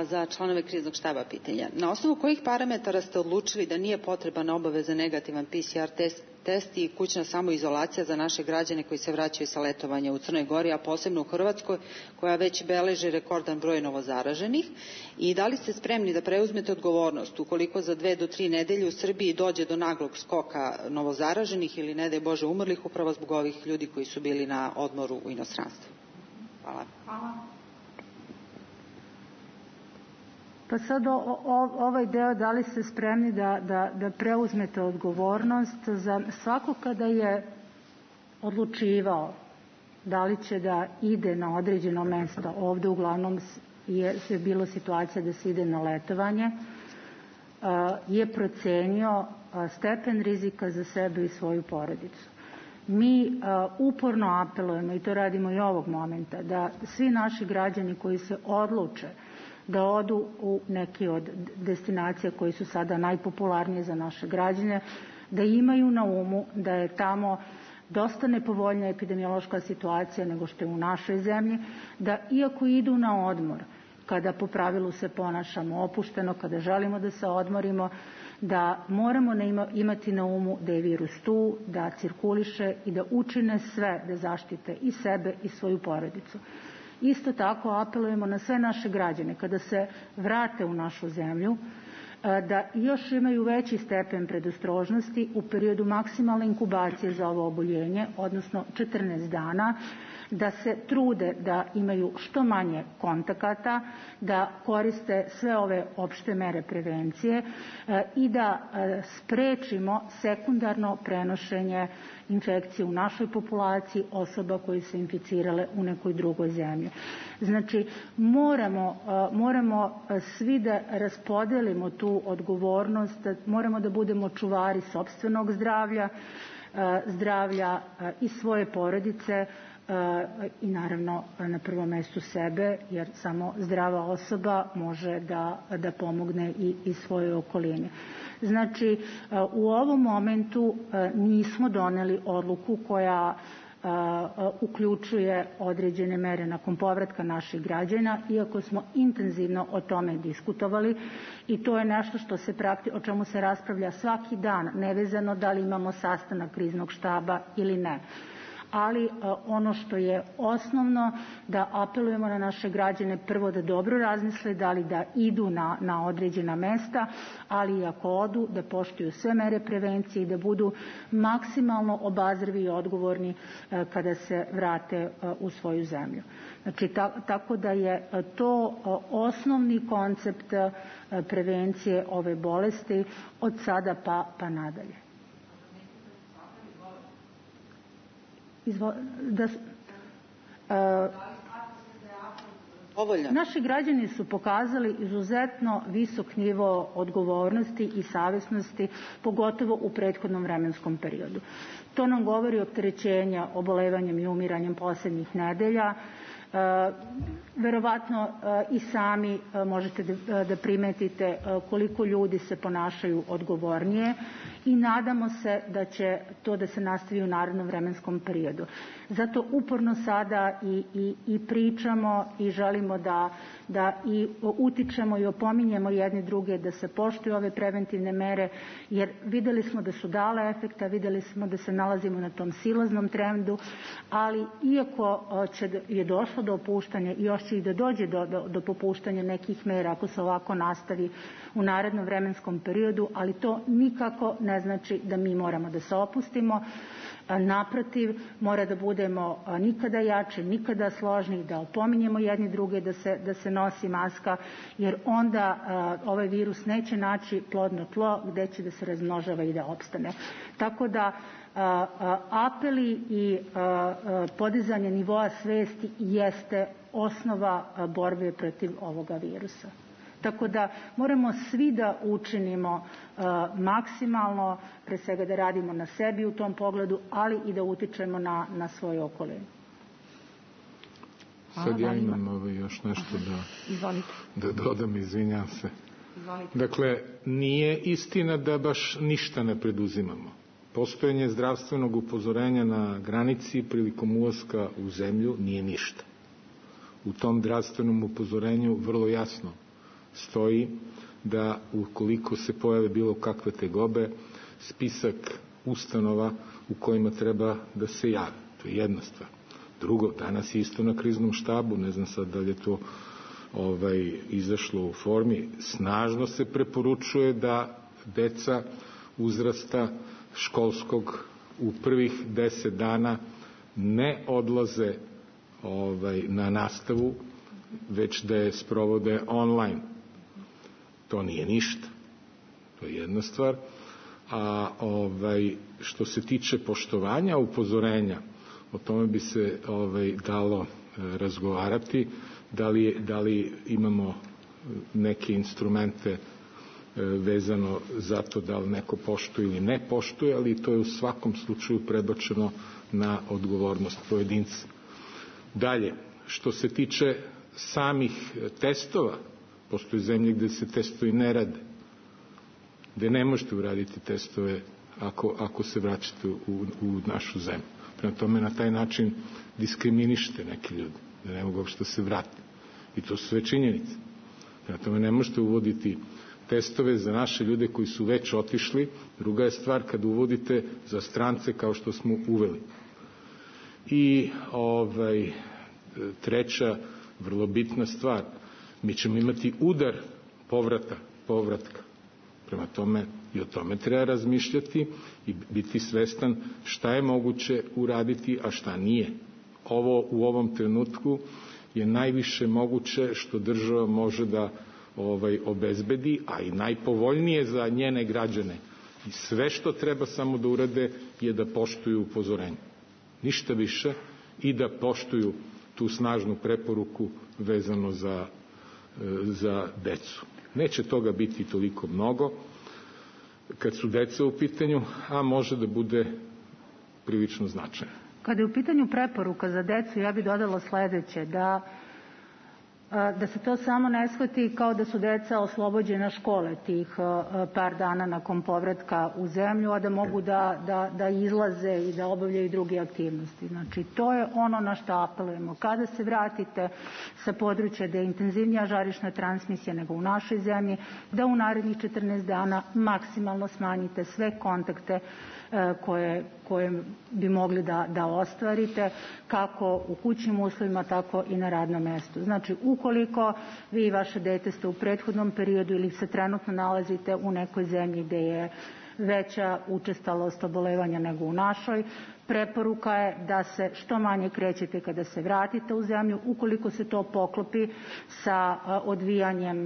Za članove kriznog štaba pitanja. Na osnovu kojih parametara ste odlučili da nije potreban obaveza negativan P C R test, test i kućna samoizolacija za naše građane koji se vraćaju sa letovanja u Crnoj Gori, a posebno u Hrvatskoj, koja već beleži rekordan broj novozaraženih? I da li ste spremni da preuzmete odgovornost ukoliko za dve do tri nedelje u Srbiji dođe do naglog skoka novozaraženih ili, ne daj Bože, umrlih upravo zbog ovih ljudi koji su bili na odmoru u inostranstvu? Hvala. Hvala. Pa sad o, o, ovaj deo, da li ste spremni da, da, da preuzmete odgovornost za svako kada je odlučivao da li će da ide na određeno mesto. Ovde uglavnom je, je bilo situacija da se ide na letovanje, je procenio stepen rizika za sebe i svoju porodicu. Mi uporno apelujemo, i to radimo i ovog momenta, da svi naši građani koji se odluče da odu u neki od destinacija koji su sada najpopularnije za naše građane, da imaju na umu da je tamo dosta nepovoljna epidemiološka situacija nego što je u našoj zemlji, da iako idu na odmor, kada po pravilu se ponašamo opušteno, kada želimo da se odmorimo, da moramo imati na umu da je virus tu, da cirkuliše i da učine sve da zaštite i sebe i svoju porodicu. Isto tako apelujemo na sve naše građane kada se vrate u našu zemlju da još imaju veći stepen predostrožnosti u periodu maksimalne inkubacije za ovo oboljenje, odnosno četrnaest dana, da se trude da imaju što manje kontakata, da koriste sve ove opšte mere prevencije i da sprečimo sekundarno prenošenje infekcije u našoj populaciji osoba koji se inficirale u nekoj drugoj zemlji. Znači, moramo, moramo svi da raspodelimo tu odgovornost, moramo da budemo čuvari sopstvenog zdravlja, zdravlja i svoje porodice, i naravno na prvom mestu sebe, jer samo zdrava osoba može da, da pomogne i, i svojoj okolini. Znači, u ovom momentu nismo doneli odluku koja uključuje određene mere nakon povratka naših građana, iako smo intenzivno o tome diskutovali i to je nešto što se prakti, o čemu se raspravlja svaki dan, nevezano da li imamo sastanak kriznog štaba ili ne. Ali ono što je osnovno, da apelujemo na naše građane prvo da dobro razmisle da li da idu na, na određena mesta, ali i ako odu da poštuju sve mere prevencije i da budu maksimalno obazrivi i odgovorni kada se vrate u svoju zemlju. Znači, ta, tako da je to osnovni koncept prevencije ove bolesti od sada pa, pa nadalje. Izvo, da, uh, naši građani su pokazali izuzetno visok nivo odgovornosti i savesnosti, pogotovo u prethodnom vremenskom periodu. To nam govori opterećenja obolevanjem i umiranjem poslednjih nedelja. Uh, verovatno uh, i sami uh, možete da, da primetite uh, koliko ljudi se ponašaju odgovornije i nadamo se da će to da se nastavi u narednom vremenskom periodu. Zato uporno sada i, i, i pričamo i želimo da, da i utičemo i opominjemo jedni druge da se poštuju ove preventivne mere, jer videli smo da su dale efekta, videli smo da se nalazimo na tom silaznom trendu, ali iako će, je došlo do opuštanja i još će i da dođe do, do, do popuštanja nekih mera ako se ovako nastavi u narednom vremenskom periodu, ali to nikako ne znači da mi moramo da se opustimo. Naprotiv, mora da budemo nikada jači, nikada složni, da opominjemo jedni druge da se, da se nosi maska, jer onda uh, ovaj virus neće naći plodno tlo gde će da se razmnožava i da opstane. Tako da uh, uh, apeli i uh, uh, podizanje nivoa svesti jeste osnova uh, borbe protiv ovoga virusa. Tako da moramo svi da učinimo uh, maksimalno, pre svega da radimo na sebi u tom pogledu, ali i da utičemo na, na svoju okolinu. Sad ja imam ovo još nešto da, da dodam, izvinjam se. Izvolite. Dakle, nije istina da baš ništa ne preduzimamo. Postojanje zdravstvenog upozorenja na granici prilikom ulaska u zemlju nije ništa. U tom zdravstvenom upozorenju vrlo jasno stoji da ukoliko se pojave bilo kakve tegobe, spisak ustanova u kojima treba da se jave. To je jedna stvar. Drugo, danas je isto na kriznom štabu, ne znam sad da li je to ovaj, izašlo u formi, snažno se preporučuje da deca uzrasta školskog u prvih deset dana ne odlaze ovaj, na nastavu, već da je sprovode online. To nije ništa. To je jedna stvar. A ovaj, što se tiče poštovanja upozorenja, o tome bi se ovaj, dalo e, razgovarati, da li, da li imamo neke instrumente e, vezano za to da li neko poštuje ili ne poštuje, ali to je u svakom slučaju prebačeno na odgovornost pojedinca. Dalje, što se tiče samih testova, postoje zemlje gde se testovi ne rade, gde ne možete uraditi testove ako, ako se vraćate u, u našu zemlju. Prema tome, na taj način diskriminišete neke ljudi, da ne mogu uopšte se vrati. I to su sve činjenice. Prema tome, ne možete uvoditi testove za naše ljude koji su već otišli. Druga je stvar kad uvodite za strance kao što smo uveli. I ovaj, treća, vrlo bitna stvar, mi ćemo imati udar povrata, povratka. Prema tome, i o tome treba razmišljati i biti svestan šta je moguće uraditi, a šta nije. Ovo u ovom trenutku je najviše moguće što država može da ovaj, obezbedi, a i najpovoljnije za njene građane. I sve što treba samo da urade je da poštuju upozorenje. Ništa više i da poštuju tu snažnu preporuku vezano za, za decu. Neće toga biti toliko mnogo kad su deca u pitanju, a može da bude prilično značajno. Kada je u pitanju preporuka za decu, ja bih dodala sledeće, da da se to samo ne shvati kao da su deca oslobođena škole tih par dana nakon povratka u zemlju, a da mogu da, da, da izlaze i da obavljaju druge aktivnosti. Znači, to je ono na što apelujemo. Kada se vratite sa područja da je intenzivnija žarišna transmisija nego u našoj zemlji, da u narednih četrnaest dana maksimalno smanjite sve kontakte koje, koje bi mogli da, da ostvarite, kako u kućnim uslovima, tako i na radnom mestu. Znači, ukoliko vi i vaše dete ste u prethodnom periodu ili se trenutno nalazite u nekoj zemlji gde je veća učestalost obolevanja nego u našoj, preporuka je da se što manje krećete kada se vratite u zemlju. Ukoliko se to poklopi sa odvijanjem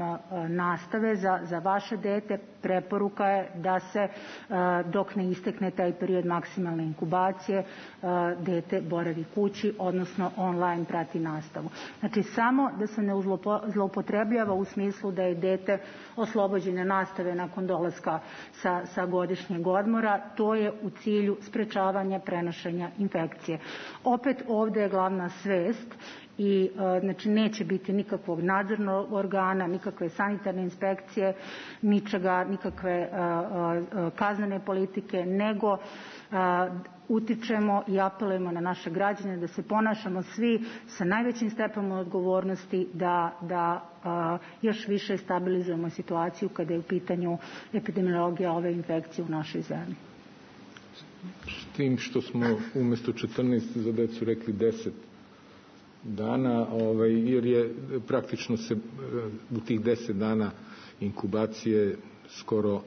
nastave za, za vaše dete, preporuka je da se dok ne istekne taj period maksimalne inkubacije dete boravi kući, odnosno online prati nastavu. Znači, samo da se ne zloupotrebljava u smislu da je dete oslobođene nastave nakon dolaska sa, sa godišnjeg odmora, to je u cilju sprečavanja prenošenja infekcije. Opet ovde je glavna svest i znači neće biti nikakvog nadzornog organa, nikakve sanitarne inspekcije, ničega, nikakve kaznene politike, nego utičemo i apelujemo na naše građane da se ponašamo svi sa najvećim stepenom odgovornosti, da, da a, još više stabilizujemo situaciju kada je u pitanju epidemiologija ove infekcije u našoj zemlji. S tim što smo umesto četrnaest za decu rekli deset dana, ovaj, jer je praktično se u tih deset dana inkubacije skoro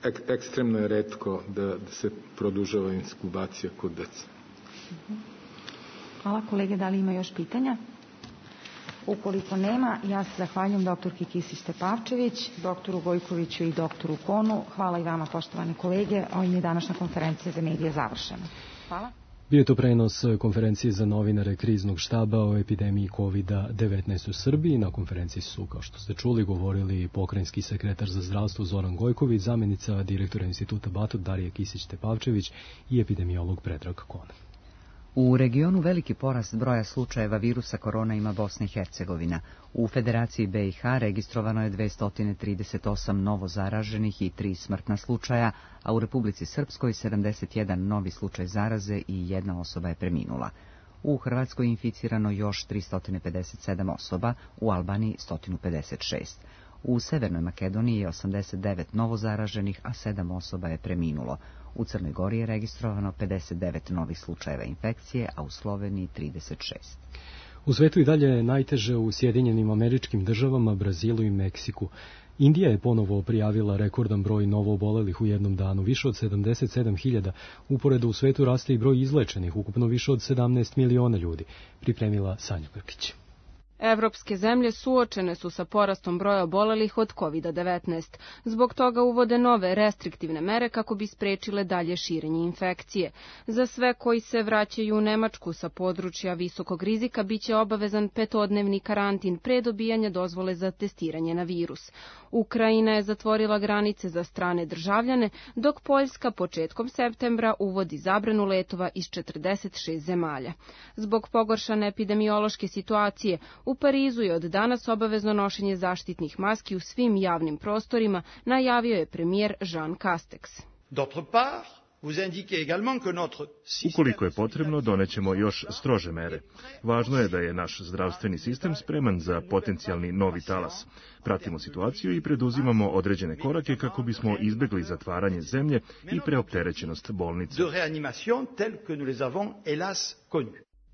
ek, ekstremno je retko da, da se produžava inkubacija kod deca. Hvala kolege, da li ima još pitanja? Ukoliko nema, ja se zahvaljujem doktorki Kisić Tepavčević, doktoru Gojkoviću i doktoru Konu. Hvala i vama, poštovani kolege. Ovim je današnja konferencija za medije završena. Hvala. Bio je to prenos konferencije za novinare kriznog štaba o epidemiji kovid devetnaest u Srbiji. Na konferenciji su, kao što ste čuli, govorili pokrajinski sekretar za zdravstvo Zoran Gojković, zamenica direktora instituta Batut Darija Kisić-Tepavčević i epidemiolog Predrag Kon. U regionu veliki porast broja slučajeva virusa korona ima Bosna i Hercegovina. U Federaciji B i H registrovano je dvesta trideset osam novo zaraženih i tri smrtna slučaja, a u Republici Srpskoj sedamdeset jedan novi slučaj zaraze i jedna osoba je preminula. U Hrvatskoj je inficirano još tristo pedeset sedam osoba, u Albaniji sto pedeset šest. U Severnoj Makedoniji je osamdeset devet novozaraženih, a sedam osoba je preminulo. U Crnoj Gori je registrovano pedeset devet novih slučajeva infekcije, a u Sloveniji trideset šest. U svetu i dalje je najteže u Sjedinjenim Američkim Državama, Brazilu i Meksiku. Indija je ponovo prijavila rekordan broj novoobolelih u jednom danu, više od sedamdeset sedam hiljada. Uporedo u svetu raste i broj izlečenih, ukupno više od sedamnaest miliona ljudi. Pripremila Sanja Krkić. Evropske zemlje suočene su sa porastom broja obolelih od kovid devetnaest. Zbog toga uvode nove restriktivne mere kako bi sprečile dalje širenje infekcije. Za sve koji se vraćaju u Nemačku sa područja visokog rizika biće obavezan petodnevni karantin pre dobijanja dozvole za testiranje na virus. Ukrajina je zatvorila granice za strane državljane, dok Poljska početkom septembra uvodi zabranu letova iz četrdeset šest zemalja. Zbog pogoršane epidemiološke situacije, u Parizu je od danas obavezno nošenje zaštitnih maski u svim javnim prostorima, najavio je premijer Jean Castex. Ukoliko je potrebno, donećemo još strože mere. Važno je da je naš zdravstveni sistem spreman za potencijalni novi talas. Pratimo situaciju i preduzimamo određene korake kako bismo izbegli zatvaranje zemlje i preopterećenost bolnica.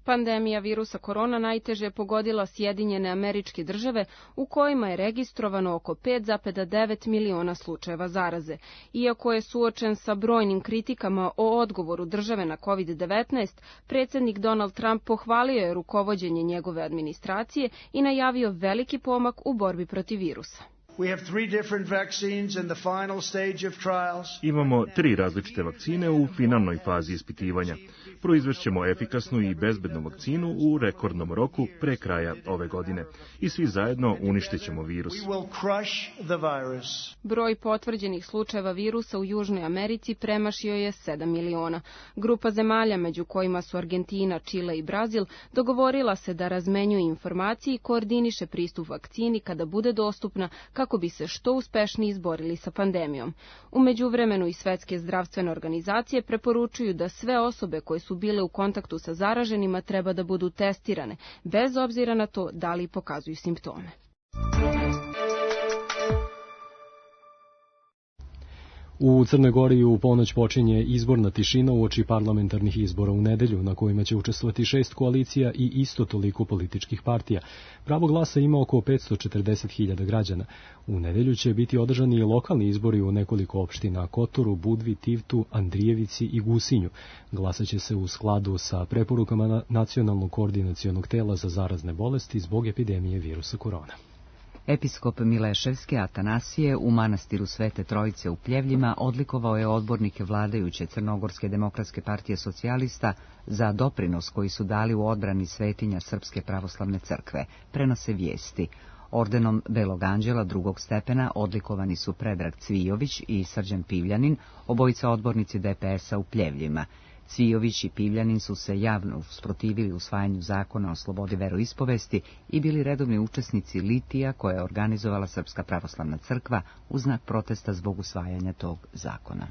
Pandemija virusa korona najteže je pogodila Sjedinjene Američke Države, u kojima je registrovano oko pet zarez devet miliona slučajeva zaraze. Iako je suočen sa brojnim kritikama o odgovoru države na kovid devetnaest, predsjednik Donald Trump pohvalio je rukovođenje njegove administracije i najavio veliki pomak u borbi protiv virusa. Imamo tri različite vakcine u finalnoj fazi ispitivanja. Proizvešćemo efikasnu i bezbednu vakcinu u rekordnom roku pre kraja ove godine. I svi zajedno uništit ćemo virus. Broj potvrđenih slučajeva virusa u Južnoj Americi premašio je sedam miliona. Grupa zemalja, među kojima su Argentina, Čile i Brazil, dogovorila se da razmenjuje informacije i koordiniše pristup vakcini kada bude dostupna, kako bi se što uspešnije izborili sa pandemijom. U međuvremenu i Svetske zdravstvene organizacije preporučuju da sve osobe koje su bile u kontaktu sa zaraženima treba da budu testirane, bez obzira na to da li pokazuju simptome. U Crnoj Gori u ponoć počinje izborna tišina uoči parlamentarnih izbora u nedelju, na kojima će učestvovati šest koalicija i isto toliko političkih partija. Pravo glasa ima oko petsto četrdeset hiljada građana. U nedelju će biti održani i lokalni izbori u nekoliko opština: Kotoru, Budvi, Tivtu, Andrijevici i Gusinju. Glasaće se u skladu sa preporukama Nacionalnog koordinacionog tela za zarazne bolesti zbog epidemije virusa korona. Episkop Mileševski Atanasije u manastiru Svete Trojice u Pljevljima odlikovao je odbornike vladajuće Crnogorske demokratske partije socijalista za doprinos koji su dali u odbrani svetinja Srpske pravoslavne crkve, prenose vijesti. Ordenom Belog anđela drugog stepena odlikovani su Predrag Cvijović i Srđan Pivljanin, obojica odbornici D P S-a u Pljevljima. Cvijović i Pivljanin su se javno usprotivili usvajanju zakona o slobodi veroispovesti i bili redovni učesnici litija koje je organizovala Srpska pravoslavna crkva u znak protesta zbog usvajanja tog zakona.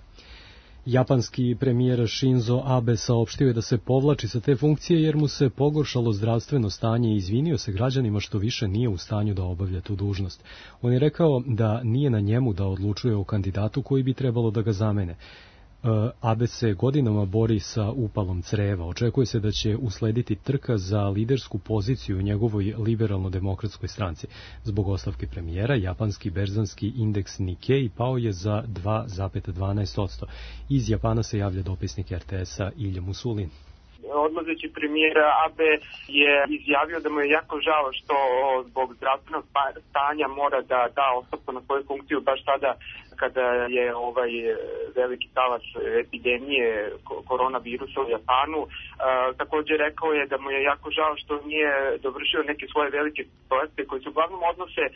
Japanski premijer Shinzo Abe saopštio je da se povlači sa te funkcije jer mu se pogoršalo zdravstveno stanje i izvinio se građanima što više nije u stanju da obavlja tu dužnost. On je rekao da nije na njemu da odlučuje o kandidatu koji bi trebalo da ga zamene. Abe se godinama bori sa upalom creva. Očekuje se da će uslediti trka za lidersku poziciju u njegovoj liberalno-demokratskoj stranci. Zbog ostavke premijera, japanski berzanski indeks Nikkei pao je za dva zarez dvanaest posto. Iz Japana se javlja dopisnik R T S-a Ilja Musulin. Odlazeći premijer Abe je izjavio da mu je jako žao što zbog zdravstvenog stanja mora da da ostavku na svoju funkciju baš tada kada je ovaj veliki talas epidemije koronavirusa u Japanu. E, također rekao je da mu je jako žao što nije dovršio neke svoje velike projekte koji se uglavnom odnose e,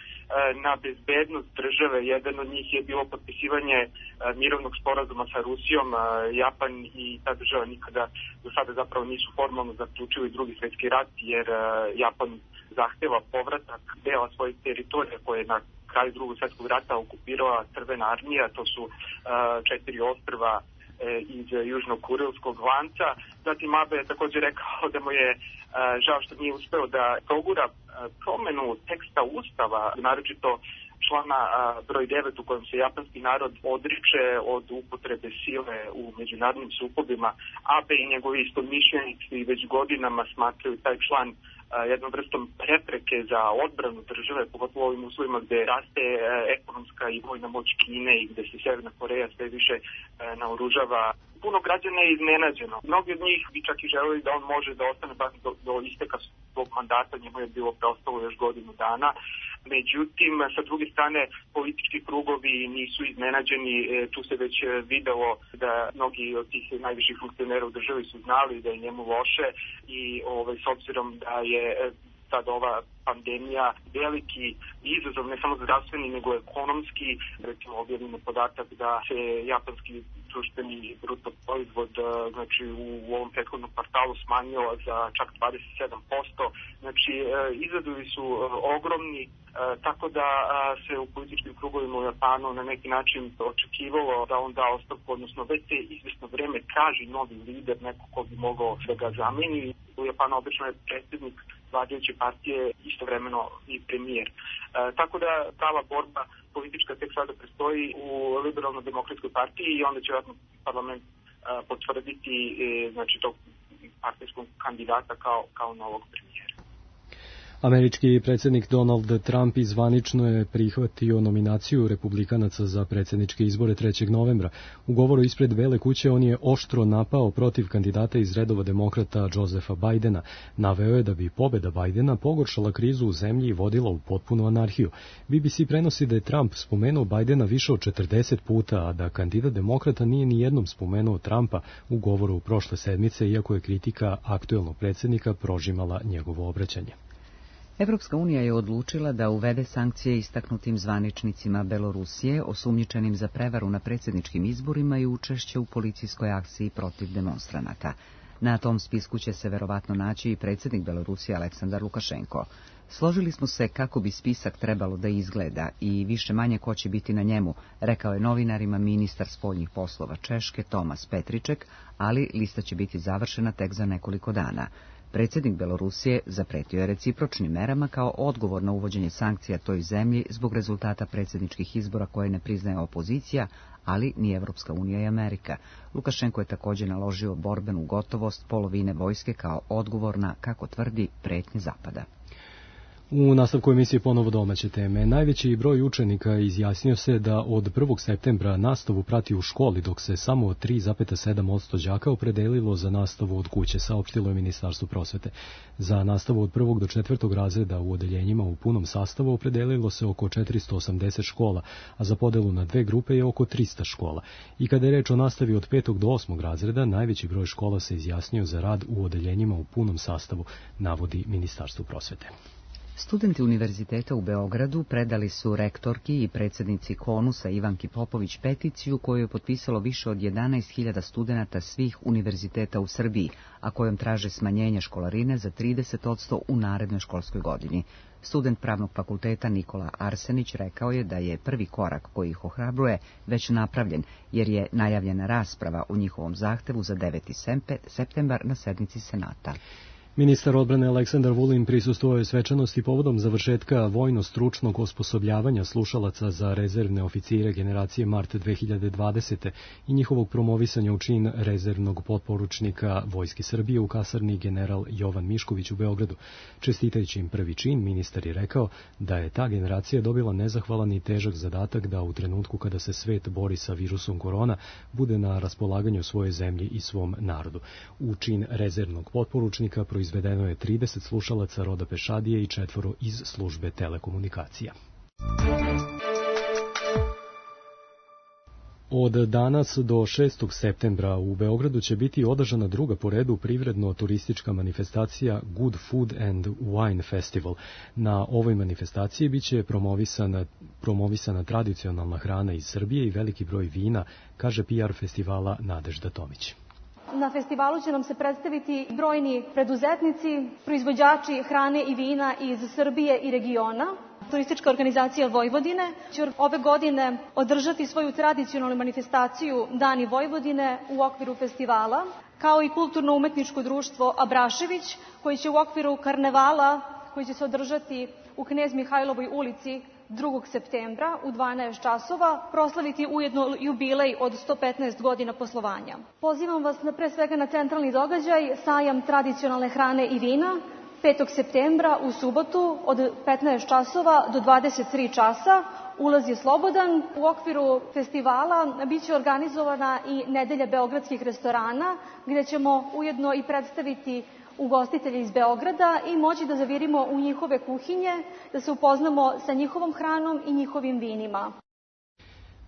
na bezbednost države. Jedan od njih je bilo potpisivanje e, mirovnog sporazuma sa Rusijom. E, Japan i ta država nikada do sada zapravo nisu formalno zaključili drugi svjetski rat jer e, Japan zahteva povratak dela svojih teritorija koje je na kraju drugog svjetskog rata okupirala Crvena armija, to su uh, četiri ostrva uh, iz južno-kurilskog lanca. Zatim Abe je također rekao da mu je uh, žao što nije uspeo da progura uh, promenu teksta Ustava, naročito uh, člana broj devet u kojem se japanski narod odriče od upotrebe sile u međunarodnim sukobima. Abe i njegovi istomišljenici već godinama smatraju taj član jednom vrstom prepreke za odbranu države, pogotovo u ovim uslovima gde raste ekonomska i vojna moć Kine i gde se Severna Koreja sve više naoružava. Puno građana je iznenađeno. Mnogi od njih bi čak i želeli da on može da ostane baš do, do isteka svog mandata, njemu je bilo preostalo još godinu dana. Međutim, sa druge strane, politički krugovi nisu iznenađeni. Tu se već videlo da mnogi od tih najviših funkcionera u državi su znali da je njemu loše i ovaj, s obzirom da je sad ova pandemija veliki izazov, ne samo zdravstveni, nego ekonomski. Recimo, objavljeno podatak da se japanski društveni bruto proizvod, znači u ovom prethodnom kvartalu smanjio za čak dvadeset sedam posto. Znači, izazovi su ogromni, tako da se u političkim krugovima u Japanu na neki način očekivalo da on da ostavku, odnosno već se izvesno vreme traži novi lider, neko ko bi mogao da ga zameni. U Japanu obično je predsjednik vladajuće partije istovremeno i premijer. E, tako da prava borba politička tek sada prestoji u liberalno-demokratskoj partiji i onda će vjerojatno parlament e, potvrditi e, znači tog partijskog kandidata kao, kao novog premijera. Američki predsjednik Donald Trump izvanično je prihvatio nominaciju republikanaca za predsjedničke izbore trećeg novembra. U govoru ispred Bele kuće on je oštro napao protiv kandidata iz redova demokrata Josepha Bidena. Naveo je da bi pobeda Bidena pogoršala krizu u zemlji i vodila u potpunu anarhiju. B B C prenosi da je Trump spomenuo Bidena više od četrdeset puta, a da kandidat demokrata nije ni jednom spomenuo Trumpa u govoru prošle sedmice, iako je kritika aktuelnog predsjednika prožimala njegovo obraćanje. Evropska unija je odlučila da uvede sankcije istaknutim zvaničnicima Belorusije osumnjičenim za prevaru na predsjedničkim izborima i učešće u policijskoj akciji protiv demonstranata. Na tom spisku će se verovatno naći i predsjednik Belorusije Aleksandar Lukašenko. Složili smo se kako bi spisak trebalo da izgleda i više manje ko će biti na njemu, rekao je novinarima ministar spoljnih poslova Češke Tomas Petriček, ali lista će biti završena tek za nekoliko dana. Predsjednik Belorusije zapretio je recipročnim merama kao odgovor na uvođenje sankcija toj zemlji zbog rezultata predsjedničkih izbora koje ne priznaje opozicija, ali ni Evropska unija i Amerika. Lukašenko je također naložio borbenu gotovost polovine vojske kao odgovor na, kako tvrdi, pretnje Zapada. U nastavku emisije ponovo domaće teme. Najveći broj učenika izjasnio se da od prvog septembra nastavu prati u školi, dok se samo tri zarez sedam posto đaka opredelilo za nastavu od kuće, saopštilo je Ministarstvo prosvete. Za nastavu od prvog do četvrtog razreda u odeljenjima u punom sastavu opredelilo se oko četiristo osamdeset škola, a za podelu na dve grupe je oko trista škola. I kada je reč o nastavi od petog do osmog razreda, najveći broj škola se izjasnio za rad u odeljenjima u punom sastavu, navodi Ministarstvo prosvete. Studenti Univerziteta u Beogradu predali su rektorki i predsjednici Konusa Ivanki Popović peticiju koju je potpisalo više od jedanaest hiljada studenata svih univerziteta u Srbiji, a kojom traže smanjenje školarine za trideset posto u narednoj školskoj godini. Student Pravnog fakulteta Nikola Arsenić rekao je da je prvi korak koji ih ohrabruje već napravljen, jer je najavljena rasprava u njihovom zahtevu za deveti septembar na sednici Senata. Ministar odbrane Aleksandar Vulin prisustvovao je svečanosti povodom završetka vojno-stručnog osposobljavanja slušalaca za rezervne oficire generacije mart dve hiljade dvadesete. i njihovog promovisanja u čin rezervnog potporučnika Vojske Srbije u kasarni general Jovan Mišković u Beogradu. Čestitajući im prvi čin, ministar je rekao da je ta generacija dobila nezahvalan i težak zadatak da u trenutku kada se svet bori sa virusom korona bude na raspolaganju svoje zemlji i svom narodu. U čin rezervnog potporučnika proizvodila izvedeno je trideset slušalaca roda pešadije i četvoro iz službe telekomunikacija. Od danas do šestog septembra u Beogradu će biti održana druga po redu privredno-turistička manifestacija Good Food and Wine Festival. Na ovoj manifestaciji biće promovisana, promovisana tradicionalna hrana iz Srbije i veliki broj vina, kaže P R festivala Nadežda Tomić. Na festivalu će nam se predstaviti brojni preduzetnici, proizvođači hrane i vina iz Srbije i regiona. Turistička organizacija Vojvodine će ove godine održati svoju tradicionalnu manifestaciju Dani Vojvodine u okviru festivala, kao i kulturno-umetničko društvo Abrašević, koji će u okviru karnevala, koji će se održati u Knez Mihajlovoj ulici drugog septembra u dvanaest časova proslaviti ujedno jubilej od sto petnaest godina poslovanja. Pozivam vas na, pre svega na centralni događaj sajam tradicionalne hrane i vina petog septembra u subotu od petnaest časova do dvadeset tri časa. Ulaz je slobodan. U okviru festivala biće organizovana i nedelja beogradskih restorana, gde ćemo ujedno i predstaviti ugostitelje iz Beograda i moći da zavirimo u njihove kuhinje, da se upoznamo sa njihovom hranom i njihovim vinima.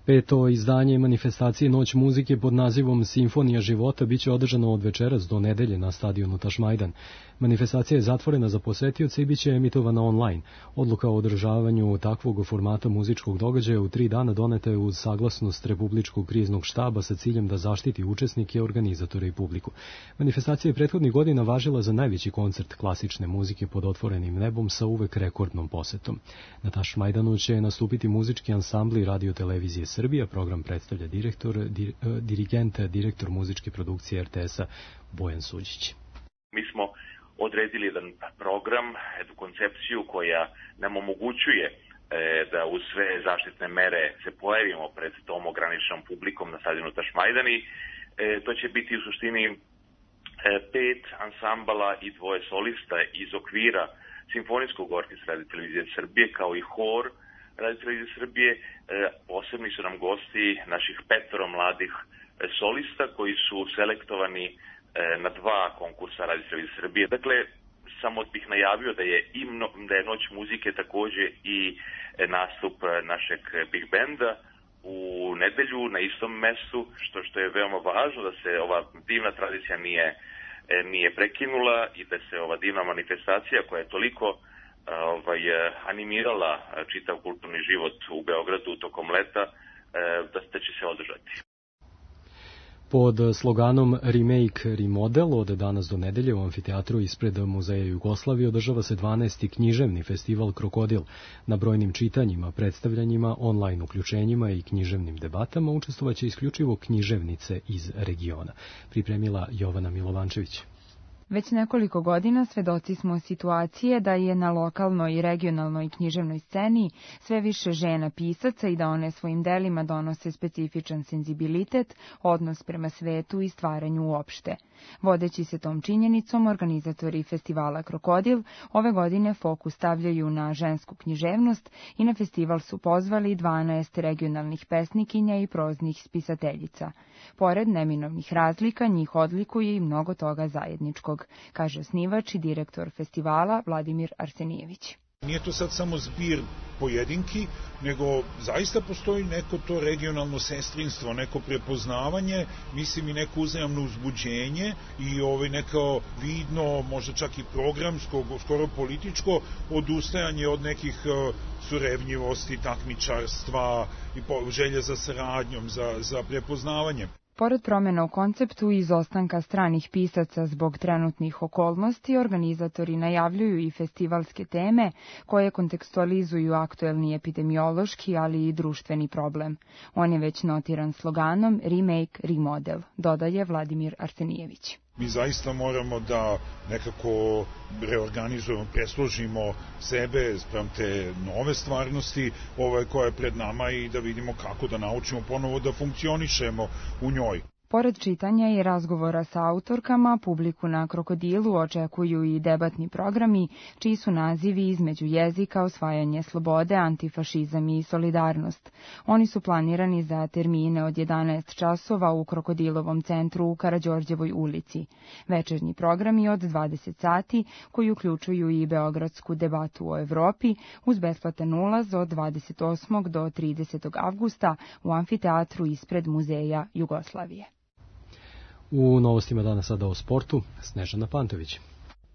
Peto izdanje manifestacije Noć muzike pod nazivom Simfonija života biće održano od večeras do nedelje na stadionu Tašmajdan. Manifestacija je zatvorena za posetioce i biće emitovana online. Odluka o održavanju takvog formata muzičkog događaja u tri dana doneta je uz saglasnost Republičkog kriznog štaba sa ciljem da zaštiti učesnike, organizatore i publiku. Manifestacija je prethodnih godina važila za najveći koncert klasične muzike pod otvorenim nebom sa uvek rekordnom posetom. Na Tašmajdanu će nastupiti muzički ansambli Radio televizije Srbija. Program predstavlja direktor, dir, dirigent, direktor muzičke produkcije er te esa Bojan Suđić. Mi smo odredili jedan program, jednu koncepciju koja nam omogućuje e, da uz sve zaštitne mere se pojavimo pred tom ograničenom publikom na stadionu Tašmajdani. E, to će biti u suštini e, pet ansambala i dvoje solista iz okvira Simfonijskog orkestra Radio televizije Srbije, kao i hor Radio televizije Srbije. E, posebni su nam gosti naših petoro mladih e, solista koji su selektovani e, na dva konkursa Radio televizije Srbije. Dakle, samo bih najavio da je, imno, da je Noć muzike takođe i e, nastup našeg Big Benda u nedelju na istom mestu, što, što je veoma važno da se ova divna tradicija nije, e, nije prekinula i da se ova divna manifestacija koja je toliko ovaj, animirala čitav kulturni život u Beogradu tokom leta, da će se održati. Pod sloganom Remake, Remodel od danas do nedelje u amfiteatru ispred Muzeja Jugoslavije održava se dvanaesti književni festival Krokodil. Na brojnim čitanjima, predstavljanjima, online uključenjima i književnim debatama učestvovaće isključivo književnice iz regiona. Pripremila Jovana Milovančević. Već nekoliko godina svedoci smo situacije da je na lokalnoj i regionalnoj književnoj sceni sve više žena pisaca i da one svojim delima donose specifičan senzibilitet, odnos prema svetu i stvaranju uopšte. Vodeći se tom činjenicom, organizatori festivala Krokodil ove godine fokus stavljaju na žensku književnost i na festival su pozvali dvanaest regionalnih pesnikinja i proznih spisateljica. Pored neminovnih razlika, njih odlikuje i mnogo toga zajedničkog, kaže osnivač i direktor festivala Vladimir Arsenijević. Nije to sad samo zbir pojedinki, nego zaista postoji neko to regionalno sestrinstvo, neko prepoznavanje, mislim i neko uzajamno uzbuđenje i ovaj neko vidno, možda čak i programsko, skoro političko odustajanje od nekih surevnjivosti, takmičarstva i želje za saradnjom, za, za prepoznavanjem. Pored promjena u konceptu i izostanka stranih pisaca zbog trenutnih okolnosti, organizatori najavljuju i festivalske teme koje kontekstualizuju aktuelni epidemiološki, ali i društveni problem. On je već notiran sloganom Remake, Remodel, dodaje Vladimir Arsenijević. Mi zaista moramo da nekako reorganizujemo, presložimo sebe sprem te nove stvarnosti ovaj, koja je pred nama i da vidimo kako da naučimo ponovo da funkcionišemo u njoj. Pored čitanja i razgovora sa autorkama, publiku na Krokodilu očekuju i debatni programi, čiji su nazivi između jezika, osvajanje slobode, antifašizam i solidarnost. Oni su planirani za termine od jedanaest časova u Krokodilovom centru u Karađorđevoj ulici. Večernji programi od dvadeset sati, koji uključuju i beogradsku debatu o Evropi, uz besplatan ulaz od dvadeset osmog do tridesetog avgusta u amfiteatru ispred Muzeja Jugoslavije. U novostima dana sada o sportu, Snežana Pantović.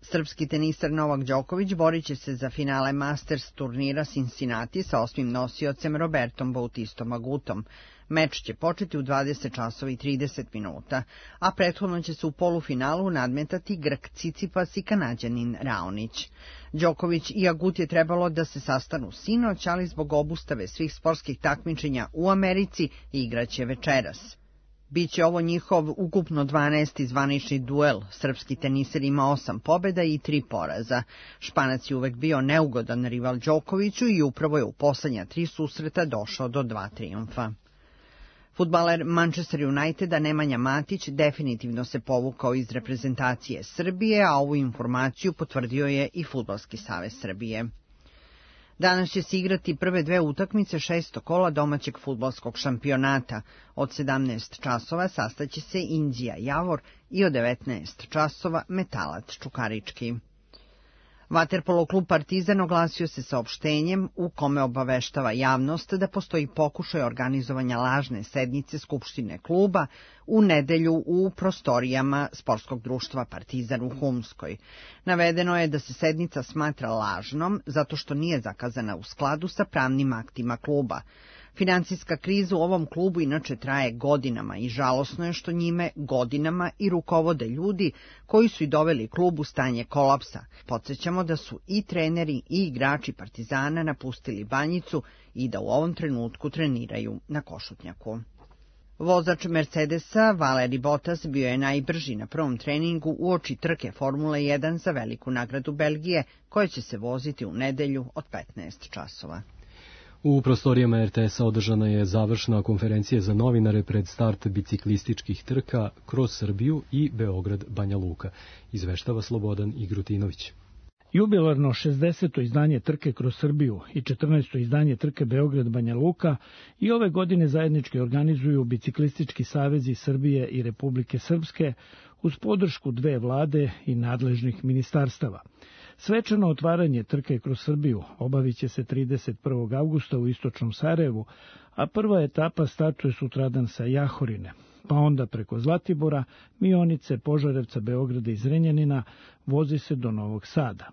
Srpski tenisar Novak Đoković borit će se za finale Masters turnira Cincinnati sa osmim nosiocem Robertom Bautistom Agutom. Meč će početi u dvadeset časova i trideset minuta, a prethodno će se u polufinalu nadmetati Grk Cicipas i Kanađanin Raonić. Đoković i Agut je trebalo da se sastanu sinoć, ali zbog obustave svih sportskih takmičenja u Americi igraće večeras. Biće ovo njihov ukupno dvanaesti zvanični duel. Srpski teniser ima osam pobjeda i tri poraza. Španac je uvek bio neugodan rival Đokoviću i upravo je u poslednja tri susreta došao do dva trijumfa. Fudbaler Manchester Uniteda Nemanja Matić definitivno se povukao iz reprezentacije Srbije, a ovu informaciju potvrdio je i Fudbalski savez Srbije. Danas će se igrati prve dve utakmice šestog kola domaćeg fudbalskog šampionata. Od sedamnaest časova sastaće se Inđija Javor i od devetnaest časova Metalac Čukarički. Vaterpolo klub Partizan oglasio se saopštenjem u kome obaveštava javnost da postoji pokušaj organizovanja lažne sednice Skupštine kluba u nedelju u prostorijama sportskog društva Partizan u Humskoj. Navedeno je da se sednica smatra lažnom zato što nije zakazana u skladu sa pravnim aktima kluba. Financijska kriza u ovom klubu inače traje godinama i žalosno je što njime godinama i rukovode ljudi koji su i doveli klub u stanje kolapsa. Podsjećamo da su i treneri i igrači Partizana napustili Banjicu i da u ovom trenutku treniraju na Košutnjaku. Vozač Mercedesa Valeri Bottas bio je najbrži na prvom treningu uoči trke Formule jedan za veliku nagradu Belgije, koja će se voziti u nedelju od petnaest časova. U prostorijama er te es-a održana je završna konferencija za novinare pred start biciklističkih trka kroz Srbiju i Beograd-Banja Luka. Izveštava Slobodan Igrutinović. Jubilarno šezdeseto izdanje trke kroz Srbiju i četrnaesto izdanje trke Beograd-Banja Luka i ove godine zajednički organizuju Biciklistički savezi Srbije i Republike Srpske uz podršku dve vlade i nadležnih ministarstava. Svečano otvaranje trke kroz Srbiju obavit će se trideset prvog avgusta u istočnom Sarajevu, a prva etapa startuje sutradan sa Jahorine, pa onda preko Zlatibora, Mionice, Požarevca, Beograda i Zrenjanina vozi se do Novog Sada.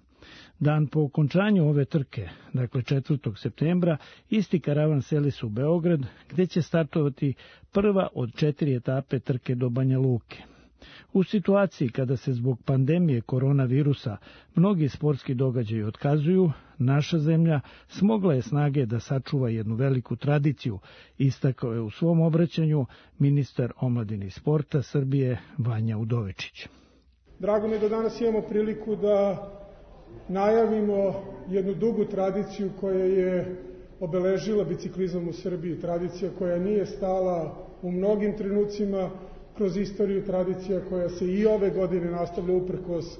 Dan po okončanju ove trke, dakle četvrtog septembra, isti karavan seli se u Beograd, gde će startovati prva od četiri etape trke do Banja Luke. U situaciji kada se zbog pandemije koronavirusa mnogi sportski događaji otkazuju, naša zemlja smogla je snage da sačuva jednu veliku tradiciju, istakao je u svom obraćanju ministar omladine i sporta Srbije Vanja Udovičić. Drago mi je da danas imamo priliku da najavimo jednu dugu tradiciju koja je obeležila biciklizam u Srbiji, tradicija koja nije stala u mnogim trenucima kroz istoriju, tradicija koja se i ove godine nastavlja uprkos uh,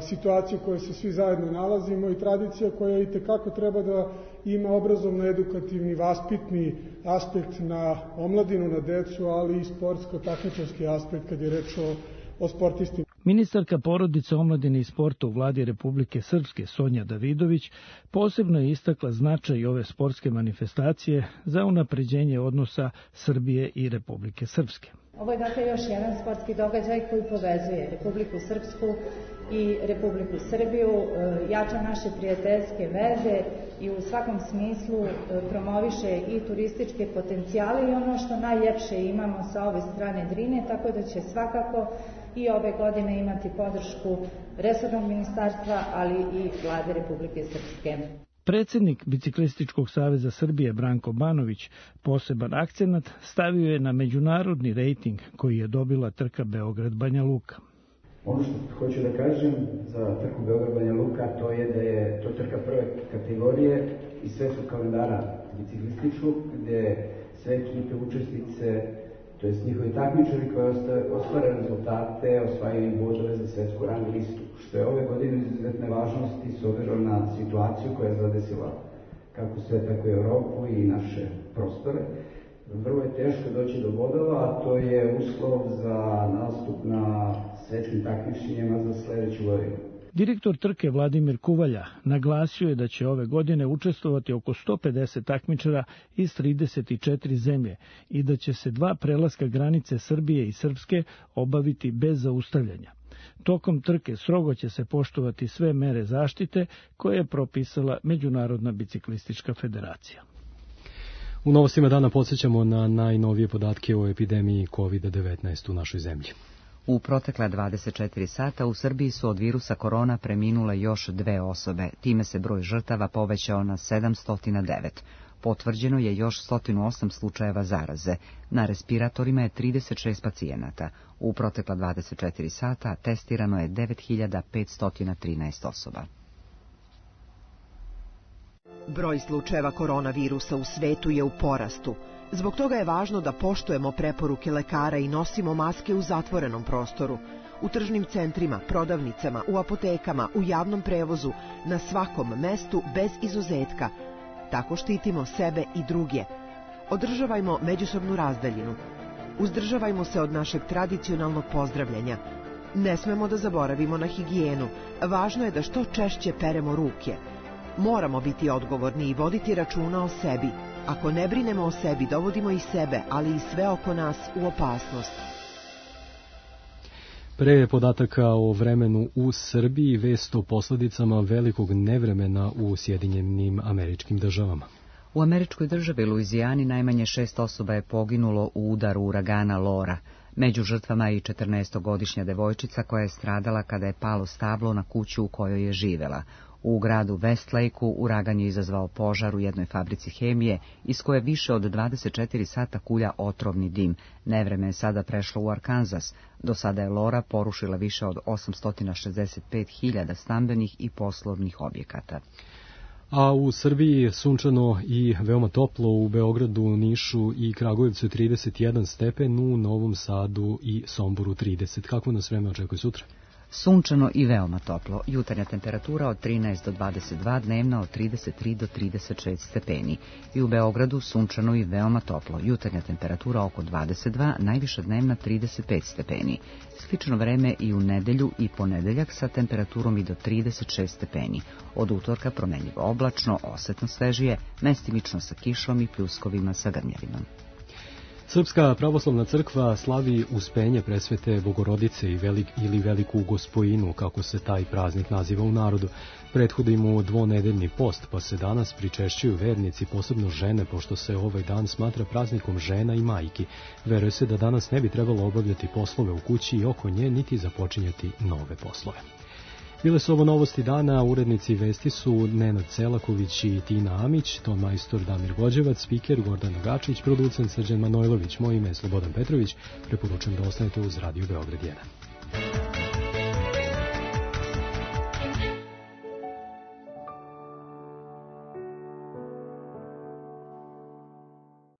situaciju u kojoj se svi zajedno nalazimo i tradicija koja i tekako treba da ima obrazovno-edukativni, vaspitni aspekt na omladinu, na decu, ali i sportsko-takmičarski aspekt kad je reč o, o sportistima. Ministarka porodice, omladine i sporta u vladi Republike Srpske Sonja Davidović posebno je istakla značaj ove sportske manifestacije za unapređenje odnosa Srbije i Republike Srpske. Ovo je dakle još jedan sportski događaj koji povezuje Republiku Srpsku i Republiku Srbiju, jača naše prijateljske veze i u svakom smislu promoviše i turističke potencijale i ono što najljepše imamo sa ove strane Drine, tako da će svakako i ove godine imati podršku resornog ministarstva, ali i vlade Republike Srpske. Predsjednik Biciklističkog saveza Srbije Branko Banović poseban akcenat stavio je na međunarodni rejting koji je dobila trka Beograd-Banja Luka. Ono što hoću da kažem za trku Beograd-Banja Luka to je da je to trka prve kategorije i svetskog kalendara biciklističkog, gde sve ekipe učesnice, to jest njihovi takmičari koji ostvare rezultate, osvajaju bodove za svetsku rang listu, što je ove godine izuzetne važnosti s obzirom na situaciju koja je zadesila kako sve, tako i Evropu i naše prostore. Vrlo je teško doći do bodova, a to je uslov za nastup na svetskim takmičenjima za sledeću godinu. Direktor trke Vladimir Kuvalja naglasio je da će ove godine učestvovati oko sto pedeset takmičara iz trideset četiri zemlje i da će se dva prelaska granice Srbije i Srpske obaviti bez zaustavljanja. Tokom trke strogo će se poštovati sve mere zaštite koje je propisala Međunarodna biciklistička federacija. U novostima dana podsjećamo na najnovije podatke o epidemiji kovid devetnaest u našoj zemlji. U protekla dvadeset četiri sata u Srbiji su od virusa korona preminule još dve osobe. Time se broj žrtava povećao na sedamsto devet. Potvrđeno je još sto osam slučajeva zaraze. Na respiratorima je trideset šest pacijenata. U protekla dvadeset četiri sata testirano je devet hiljada petsto trinaest osoba. Broj slučajeva koronavirusa u svetu je u porastu. Zbog toga je važno da poštujemo preporuke lekara i nosimo maske u zatvorenom prostoru. U tržnim centrima, prodavnicama, u apotekama, u javnom prevozu, na svakom mestu bez izuzetka. Tako štitimo sebe i druge. Održavajmo međusobnu razdaljinu. Uzdržavajmo se od našeg tradicionalnog pozdravljanja. Ne smemo da zaboravimo na higijenu. Važno je da što češće peremo ruke. Moramo biti odgovorni i voditi računa o sebi. Ako ne brinemo o sebi, dovodimo i sebe, ali i sve oko nas u opasnost. Pre podataka o vremenu u Srbiji, vest o posledicama velikog nevremena u Sjedinjenim Američkim Državama. U američkoj državi Luizijani najmanje šest osoba je poginulo u udaru uragana Lora. Među žrtvama je i četrnaestogodišnja devojčica koja je stradala kada je palo stablo na kuću u kojoj je živela. U gradu Westlakeu uragan je izazvao požar u jednoj fabrici hemije, iz koje više od dvadeset četiri sata kulja otrovni dim. Nevreme je sada prešlo u Arkansas. Do sada je Lora porušila više od osamsto šezdeset pet hiljada stambenih i poslovnih objekata. A u Srbiji sunčano i veoma toplo, u Beogradu, Nišu i Kragujevcu trideset jedan stepen, u Novom Sadu i Somboru trideset. Kako nas vreme očekuje sutra? Sunčano i veoma toplo. Jutarnja temperatura od trinaest do dvadeset dva, dnevna od trideset tri do trideset šest stepeni. I u Beogradu sunčano i veoma toplo. Jutarnja temperatura oko dvadeset dva, najviša dnevna trideset pet stepeni. Slično vreme i u nedelju i ponedeljak sa temperaturom i do trideset šest stepeni. Od utorka promenljivo oblačno, osetno svežije, mestimično sa kišom i pljuskovima sa grmljavinom. Srpska pravoslavna crkva slavi Uspenje Presvete Bogorodice i velik, ili Veliku Gospojinu, kako se taj praznik naziva u narodu. Prethodi mu dvonedeljni post, pa se danas pričešćuju vernici, posebno žene, pošto se ovaj dan smatra praznikom žena i majki. Veruje se da danas ne bi trebalo obavljati poslove u kući i oko nje, niti započinjati nove poslove. Bile su ovo novosti dana, urednici vesti su Nenad Celaković i Tina Amić, ton majstor Damir Vođevac, spiker Gordana Gačić, producent Srđan Manojlović, moje ime je Slobodan Petrović, preporučujem da ostanete uz Radio Beograd jedan.